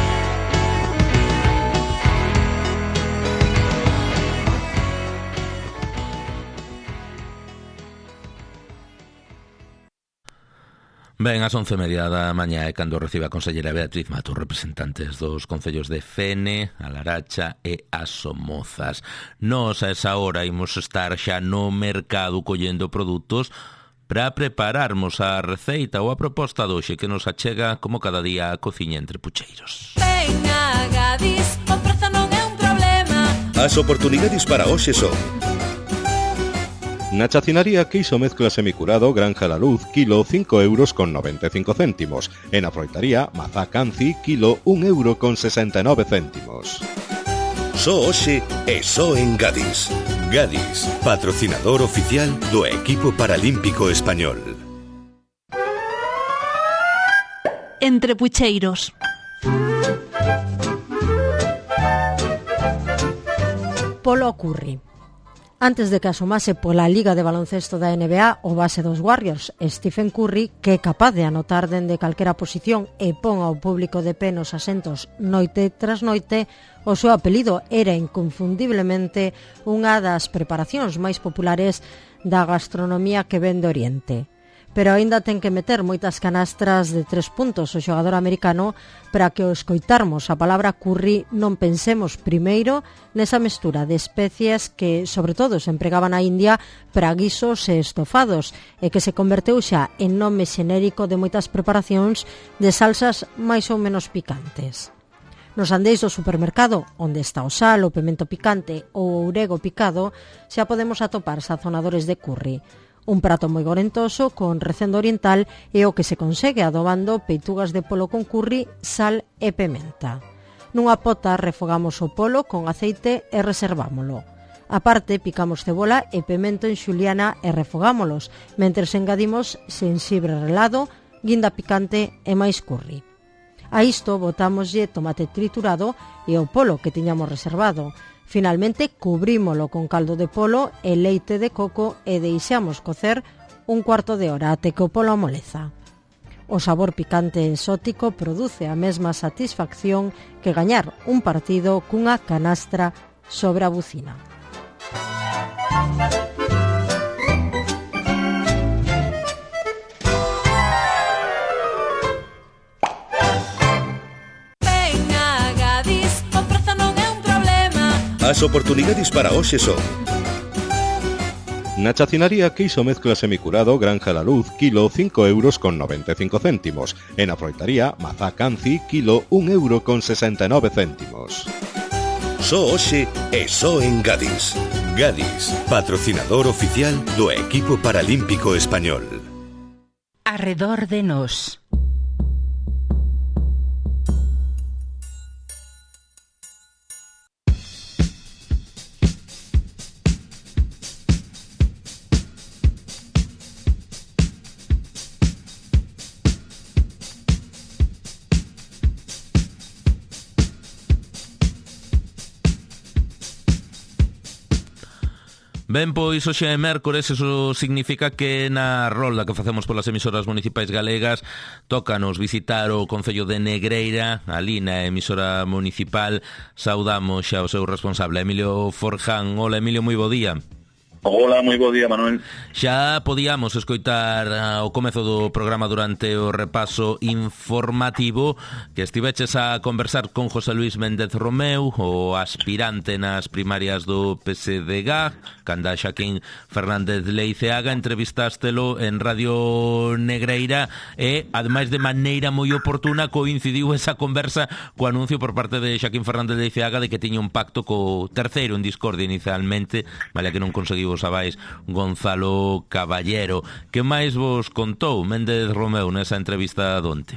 Ben, ás 11:30 da mañá é cando recibe a conselleira Beatriz Mato representantes dos concellos de Fene, A Laracha e As Somozas. Nos a esa hora imos estar xa no mercado collendo produtos para prepararmos a receita ou a proposta doxe que nos achega como cada día a cociña entre pucheiros. Ven a Gadis, o prezo non é un problema. As oportunidades para hoxe son: na chacinaría queixo mezcla semicurado Granja La Luz, kilo 5,95 €. E na froitaría mazá Canci, kilo 1,69 €. Só hoxe e só en Gadis. Gadis, patrocinador oficial do equipo paralímpico español. Entre pucheiros. Polo Curry. Antes de que asomase pola Liga de Baloncesto da NBA, o base dos Warriors, Stephen Curry, que é capaz de anotar dende calquera posición e pon ao público de pé nos asentos noite tras noite, o seu apelido era inconfundiblemente unha das preparacións máis populares da gastronomía que ven de Oriente. Pero aínda ten que meter moitas canastras de 3 puntos o xogador americano para que ao escoitarmos a palabra curry non pensemos primeiro nesa mestura de especies que, sobre todo, se empregaban na India para guisos e estofados e que se converteu xa en nome xenérico de moitas preparacións de salsas máis ou menos picantes. Nos andeis do supermercado, onde está o sal, o pemento picante ou o orego picado, xa podemos atopar sazonadores de curry. Un prato moi gorentoso con recendo oriental é o que se consegue adobando peitugas de polo con curry, sal e pementa. Nunha pota refogamos o polo con aceite e reservámolo. A parte, picamos cebola e pemento en xuliana e refogámolos, mentres engadimos xenxibre relado, guinda picante e máis curry. A isto botámoslle tomate triturado e o polo que tiñamos reservado. Finalmente, cubrímolo con caldo de polo e leite de coco e deixamos cocer un cuarto de hora até que o polo amoleza. O sabor picante e exótico produce a mesma satisfacción que gañar un partido cunha canastra sobre a bucina. As oportunidades para hoxe son: na chacinaría queixo mezcla semicurado Granja La Luz, kilo 5,95 €. E na froitaría Mazá Canci, kilo 1,69 €. Só hoxe e só en Gadis. Gadis, patrocinador oficial do equipo paralímpico español. Arredor de nós. Ben, pois hoxe é mércores, eso significa que na rolda que facemos polas emisoras municipais galegas tócanos visitar o Concello de Negreira, ali na emisora municipal. Saudamos xa o seu responsable, Emilio Forján. Hola, Emilio, moi bo día. Hola, moi bo día, Manuel. Xa podíamos escoitar o comezo do programa durante o repaso informativo que estiveches a conversar con José Luis Méndez Romeu, o aspirante nas primarias do PSDG, canda Xaquín Fernández Leiceaga. Entrevistástelo en Radio Negreira e, ademais de maneira moi oportuna, coincidiu esa conversa co anuncio por parte de Xaquín Fernández Leiceaga de que tiña un pacto co terceiro en discordia inicialmente, vale que non conseguiu vos sabáis, Gonzalo Caballero. Que máis vos contou Méndez Romeu nesa entrevista donte?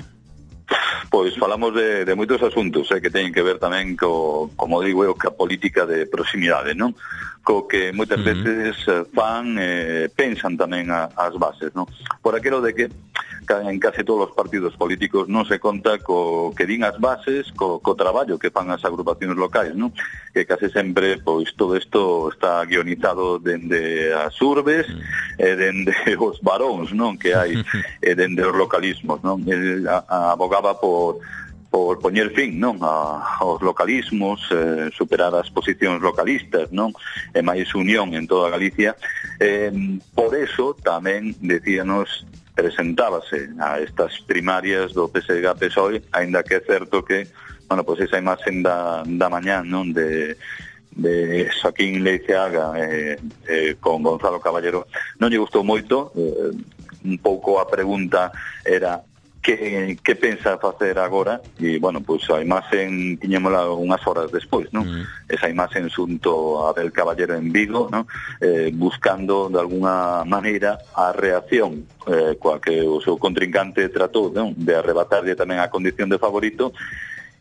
Pois falamos de moitos asuntos que teñen que ver tamén como digo eu, ca política de proximidade, non? Co que moitas veces fan, pensan tamén as bases, non? Por aquilo de que en case todos os partidos políticos non se conta co que din as bases, co traballo que fan as agrupacións locais, non? Que case sempre, pois, todo isto está guionizado dende as urbes e dende os varóns, non? Que hai dende os localismos, non? Abogaba por poñer fin, non, aos localismos, superar as posicións localistas, non, e máis unión en toda Galicia. Por eso tamén decíanos, presentábase a estas primarias do PSDG-PSOE, aínda que é certo que, bueno, pois esa imaxen da mañán, non, de Xaquín Leiceaga con Gonzalo Caballero non lle gustou moito. Un pouco a pregunta era que pensa facer agora, e, bueno, pois a imaxen tiñémola unhas horas despois, non? Esa imaxen xunto a Abel Caballero en Vigo, non? Buscando, de alguna maneira, a reacción coa que o seu contrincante tratou, non? De arrebatarlle tamén a condición de favorito.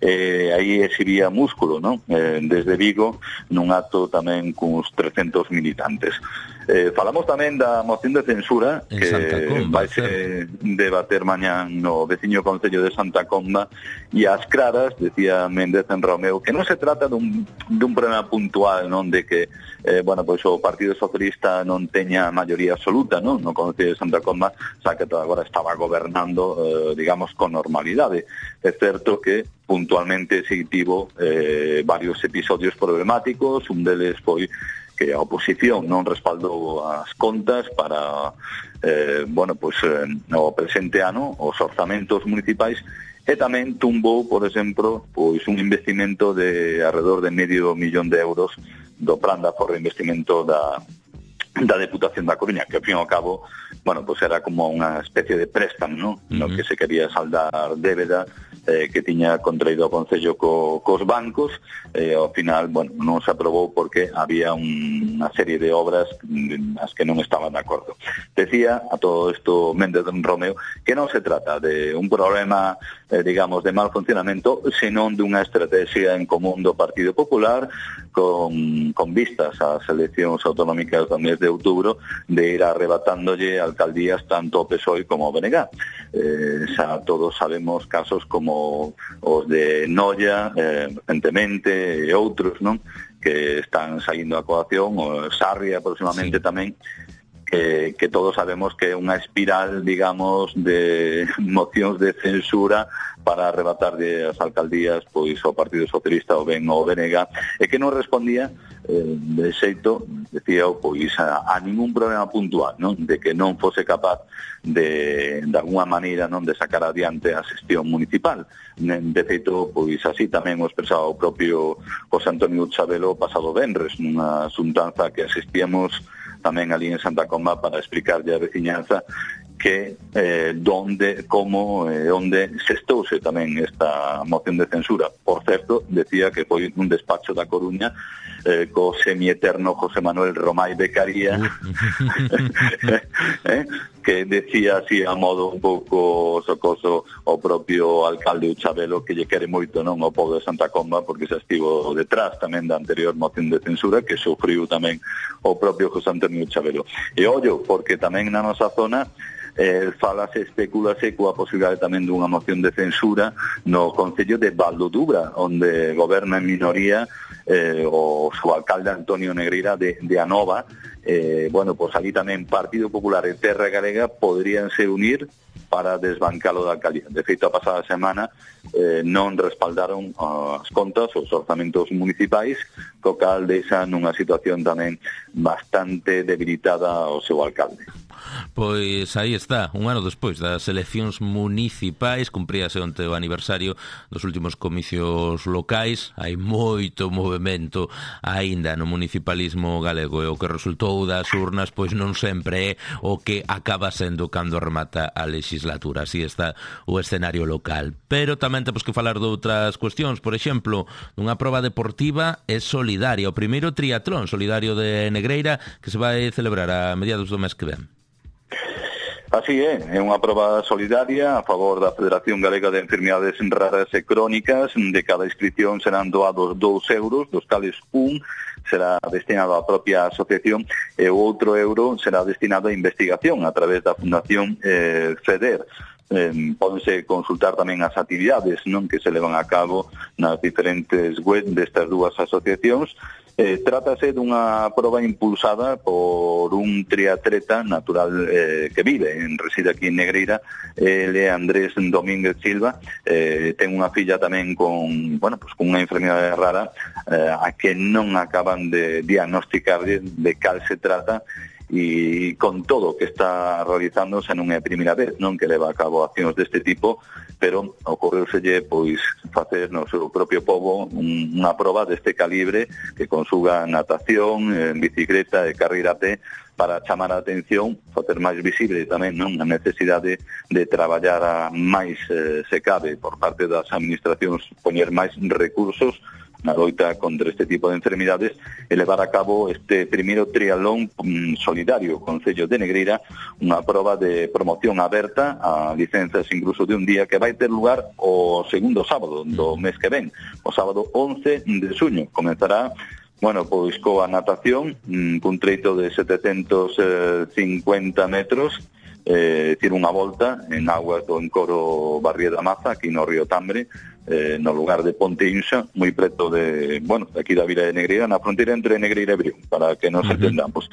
Aí exhibía músculo, non? Desde Vigo, nun acto tamén cuns 300 militantes. Falamos tamén da moción de censura que vai se debater mañán no veciño Concello de Santa Comba, e ás claras, decía Méndez en Romeu, que non se trata dun problema puntual, non, de que bueno, pois o Partido Socialista non teña maioría absoluta, non, no Concello de Santa Comba, xa que agora estaba gobernando, digamos, con normalidade. É certo que puntualmente se tivo varios episodios problemáticos. Un deles foi que a oposición non respaldou as contas para bueno, pois no presente ano, os orzamentos municipais, e tamén tumbou, por exemplo, pois un investimento de alrededor de €500,000 do plan de aforro de investimento da Deputación da Coruña, que ao fin e ao cabo, bueno, pois era como unha especie de préstamo, non? No que se quería saldar débeda que tiña contraído o Concello cos bancos. Ao final, bueno, non se aprobou porque había unha serie de obras as que non estaban de acordo. Decía a todo isto Méndez Romeu que non se trata de un problema, digamos, de mal funcionamento, senón dunha estrategia en común do Partido Popular con vistas ás eleccións autonómicas do mes de outubro, de ir arrebatándolle alcaldías tanto ao PSOE como ao BNG. Xa todos sabemos casos como os de Noia, recentemente, e outros, non, que están saindo a coacción, o Sarria próximamente tamén, que todos sabemos que é unha espiral, digamos, de mocións de censura para arrebatar as alcaldías pois ao Partido Socialista, o BEN ou o BNG, e que non respondía de xeito, decía, pois a ningún problema puntual, non? De que non fose capaz de alguna maneira non de sacar adiante a xestión municipal. De feito, pois así tamén o expresaba o propio José Antonio Chabelo pasado venres nunha xuntanza que asistíamos tamén ali en Santa Comba para explicarlle a veciñanza que onde se estouse tamén esta moción de censura. Por certo, decía que foi un despacho da Coruña co semieterno José Manuel Romay Becaría que decía así a modo un pouco socoso o propio alcalde Uchabelo que lle quere moito non o pobo de Santa Comba porque se estivo detrás tamén da anterior moción de censura que sufriu tamén o propio José Antonio Uchabelo. E ollo, porque tamén na nosa zona falase, especulase coa posibilidade tamén dunha moción de censura no concello de Valdodubra, onde goberna en minoría o seu alcalde Antonio Negreira de Anova. Bueno, pois ali tamén Partido Popular e Terra Galega podríanse unir para desbancalo da alcaldía. De feito, a pasada semana non respaldaron as contas, os orzamentos municipais, co cal deixa nunha situación tamén bastante debilitada o seu alcalde. Pois aí está, un ano despois das eleccións municipais, cumpríase onte o aniversario dos últimos comicios locais, hai moito movimento aínda no municipalismo galego e o que resultou das urnas pois non sempre é o que acaba sendo cando remata a legislatura, así está o escenario local. Pero tamén temos que falar de outras cuestións, por exemplo, dunha proba deportiva e solidaria, o primeiro triatlón solidario de Negreira que se vai celebrar a mediados do mes que ven. Así é unha proba solidaria a favor da Federación Galega de Enfermidades Raras e Crónicas. De cada inscripción serán doados 2 euros, dos cales un será destinado á propia asociación e o outro euro será destinado a investigación a través da Fundación FEDER. Pódense consultar tamén as actividades non que se levan a cabo nas diferentes web destas dúas asociacións. Trátase dunha proba impulsada por un triatleta natural que reside aquí en Negreira, ele Andrés Domínguez Silva, ten unha filla tamén con unha enfermidade rara a que non acaban de diagnosticar de cal se trata. E con todo o que está realizándose non é a primeira vez non que leva a cabo accións deste tipo, pero ocorreuselle pois facer no seu propio pobo unha proba deste calibre que consuga natación, bicicleta e carreira a pé para chamar a atención, facer máis visible tamén non a necesidade de traballar a máis se cabe por parte das administracións, poñer máis recursos na loita contra este tipo de enfermidades e levar a cabo este primeiro triatlón solidario Concello de Negreira, unha proba de promoción aberta a licenzas incluso de un día que vai ter lugar o segundo sábado do mes que ven, o sábado 11 de xuño. Comenzará pois coa natación cun treito de 750 metros, tira unha volta en aguas do encoro Barrio da Maza, aquí no Río Tambre, no lugar de Ponte Inxa, moi preto de aquí da vila de Negreira, na fronteira entre Negreira e Brión, para que nos entendamos.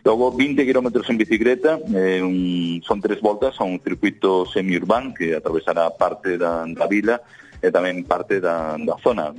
Logo, 20 kilómetros en bicicleta, son 3 voltas a un circuito semiurbán que atravesará parte da vila e tamén parte da zona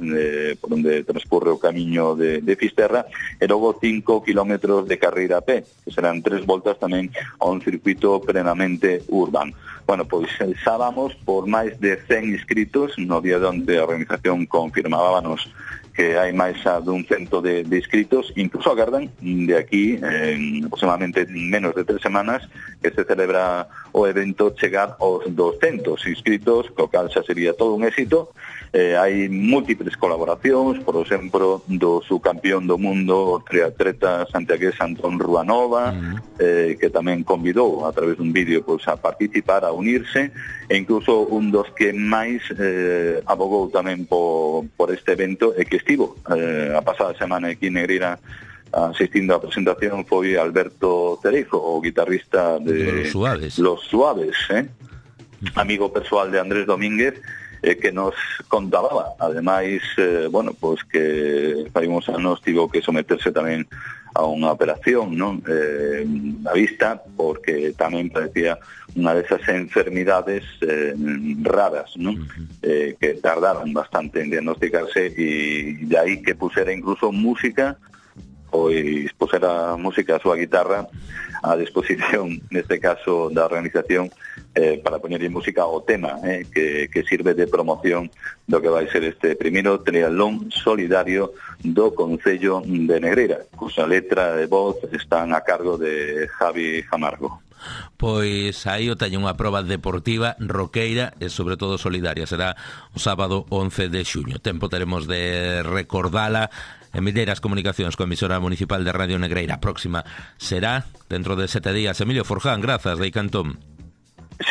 por onde transcurre o camiño de Fisterra, e logo 5 kilómetros de carreira a pé, que serán 3 voltas tamén a un circuito plenamente urbán. Pois xa vamos por máis de 100 inscritos. No día de onte a organización confirmábanos que hai máis dun cento de inscritos, incluso agardan de aquí en aproximadamente menos de 3 semanas que se celebra o evento chegar aos 200 inscritos, co cal xa sería todo un éxito. Hai múltiples colaboracións, por exemplo, do subcampeón do mundo, o triatleta santiagués Antón Ruanova, que tamén convidou a través dun vídeo a participar, a unirse, e incluso un dos que máis abogou tamén por este evento e que estivo a pasada semana aquí en Negreira asistindo á presentación foi Alberto Cereijo, o guitarrista de Los Suaves, amigo persoal de Andrés Domínguez, que nos contaba, ademais, que fai uns anos tivo que someterse tamén unha operación, non? A vista, porque tamén parecía unha desas enfermidades raras, non? Que tardaron bastante en diagnosticarse, e de aí que pusera incluso música, pois pusera música a súa guitarra a disposición, neste caso, da organización, para poñerlle música ao tema, que sirve de promoción do que vai ser este primeiro triatlón solidario do Concello de Negreira, cuxa letra e voz están a cargo de Javi Jamargo. Pois aí o teño unha proba deportiva, roqueira e sobre todo solidaria. Será o sábado 11 de xuño. Tempo teremos de recordala en Milleiras Comunicacións, coa emisora municipal de Radio Negreira. A próxima será dentro de 7 días. Emilio Forján, grazas, de Cantón.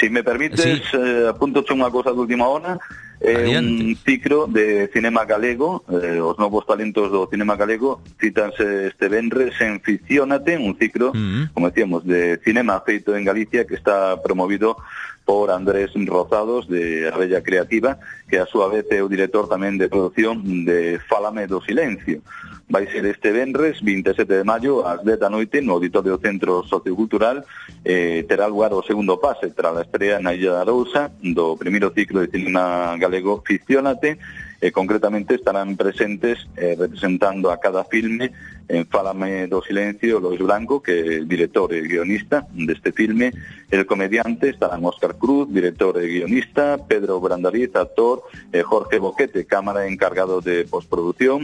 Si me permites, apúntoche unha cosa de última hora. Un ciclo de cinema galego, os novos talentos do cinema galego citanse este venres en Ficciónate, un ciclo, como decíamos, de cinema feito en Galicia, que está promovido por Andrés Rozados, de Abella Creativa, que a súa vez é o director tamén de produción de Fálame do Silencio. Vai ser este venres, 27 de maio, ás 10 da noite, no Auditorio Centro Sociocultural. Terá lugar o segundo pase tras a estrea na Illa da Arousa do primeiro ciclo de cinema galego Ficciónate. Concretamente estarán presentes representando a cada filme en Fálame do Silencio Lois Blanco, que é director e guionista deste filme, el comediante, estarán Óscar Cruz, director e guionista, Pedro Brandariz, actor, Jorge Boquete, cámara encargado de postproducción,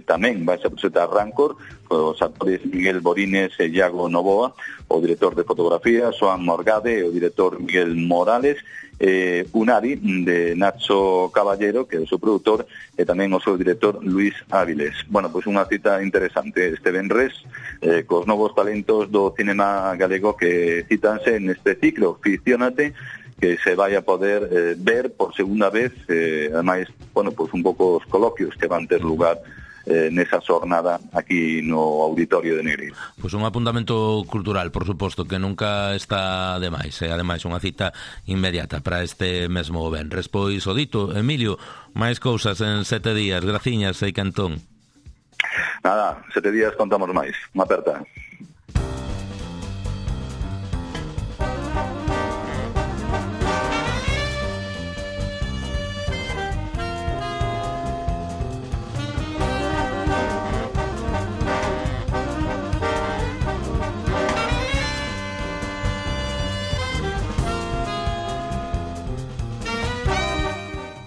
tamén vai a presentar Rancor, os actores Miguel Borines e Iago Novoa, o director de fotografía, Xoan Morgade, e o director Miguel Morales, Unari, de Nacho Caballero, que é o seu produtor, e tamén o seu director Luis Áviles. Bueno, pois unha cita interesante este venres, cos novos talentos do cinema galego que citanse neste ciclo Ficciónate, que se vai a poder ver por segunda vez, ademais, bueno, pois un pouco os coloquios que van ter lugar nesa xornada aquí no Auditorio de Negreira. Pois un apuntamento cultural, por suposto, que nunca está de máis, ademais unha cita inmediata para este mesmo venres. Pois o dito, Emilio, máis cousas en 7 días, graciñas, e Cantón. Nada, 7 días contamos máis. Unha aperta.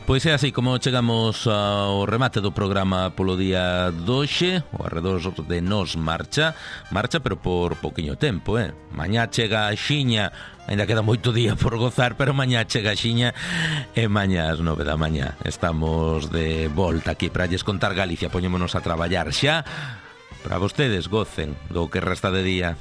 Pois é así como chegamos ao remate do programa polo día doxe, o arredor de Nos marcha, pero por pouquiño tempo, Mañá chega a Xiña, ainda queda moito día por gozar, pero mañá chega a Xiña, e mañá ás 9 da mañá estamos de volta aquí para lles contar Galicia. Poñémonos a traballar xa para vostedes gocen do que resta de día.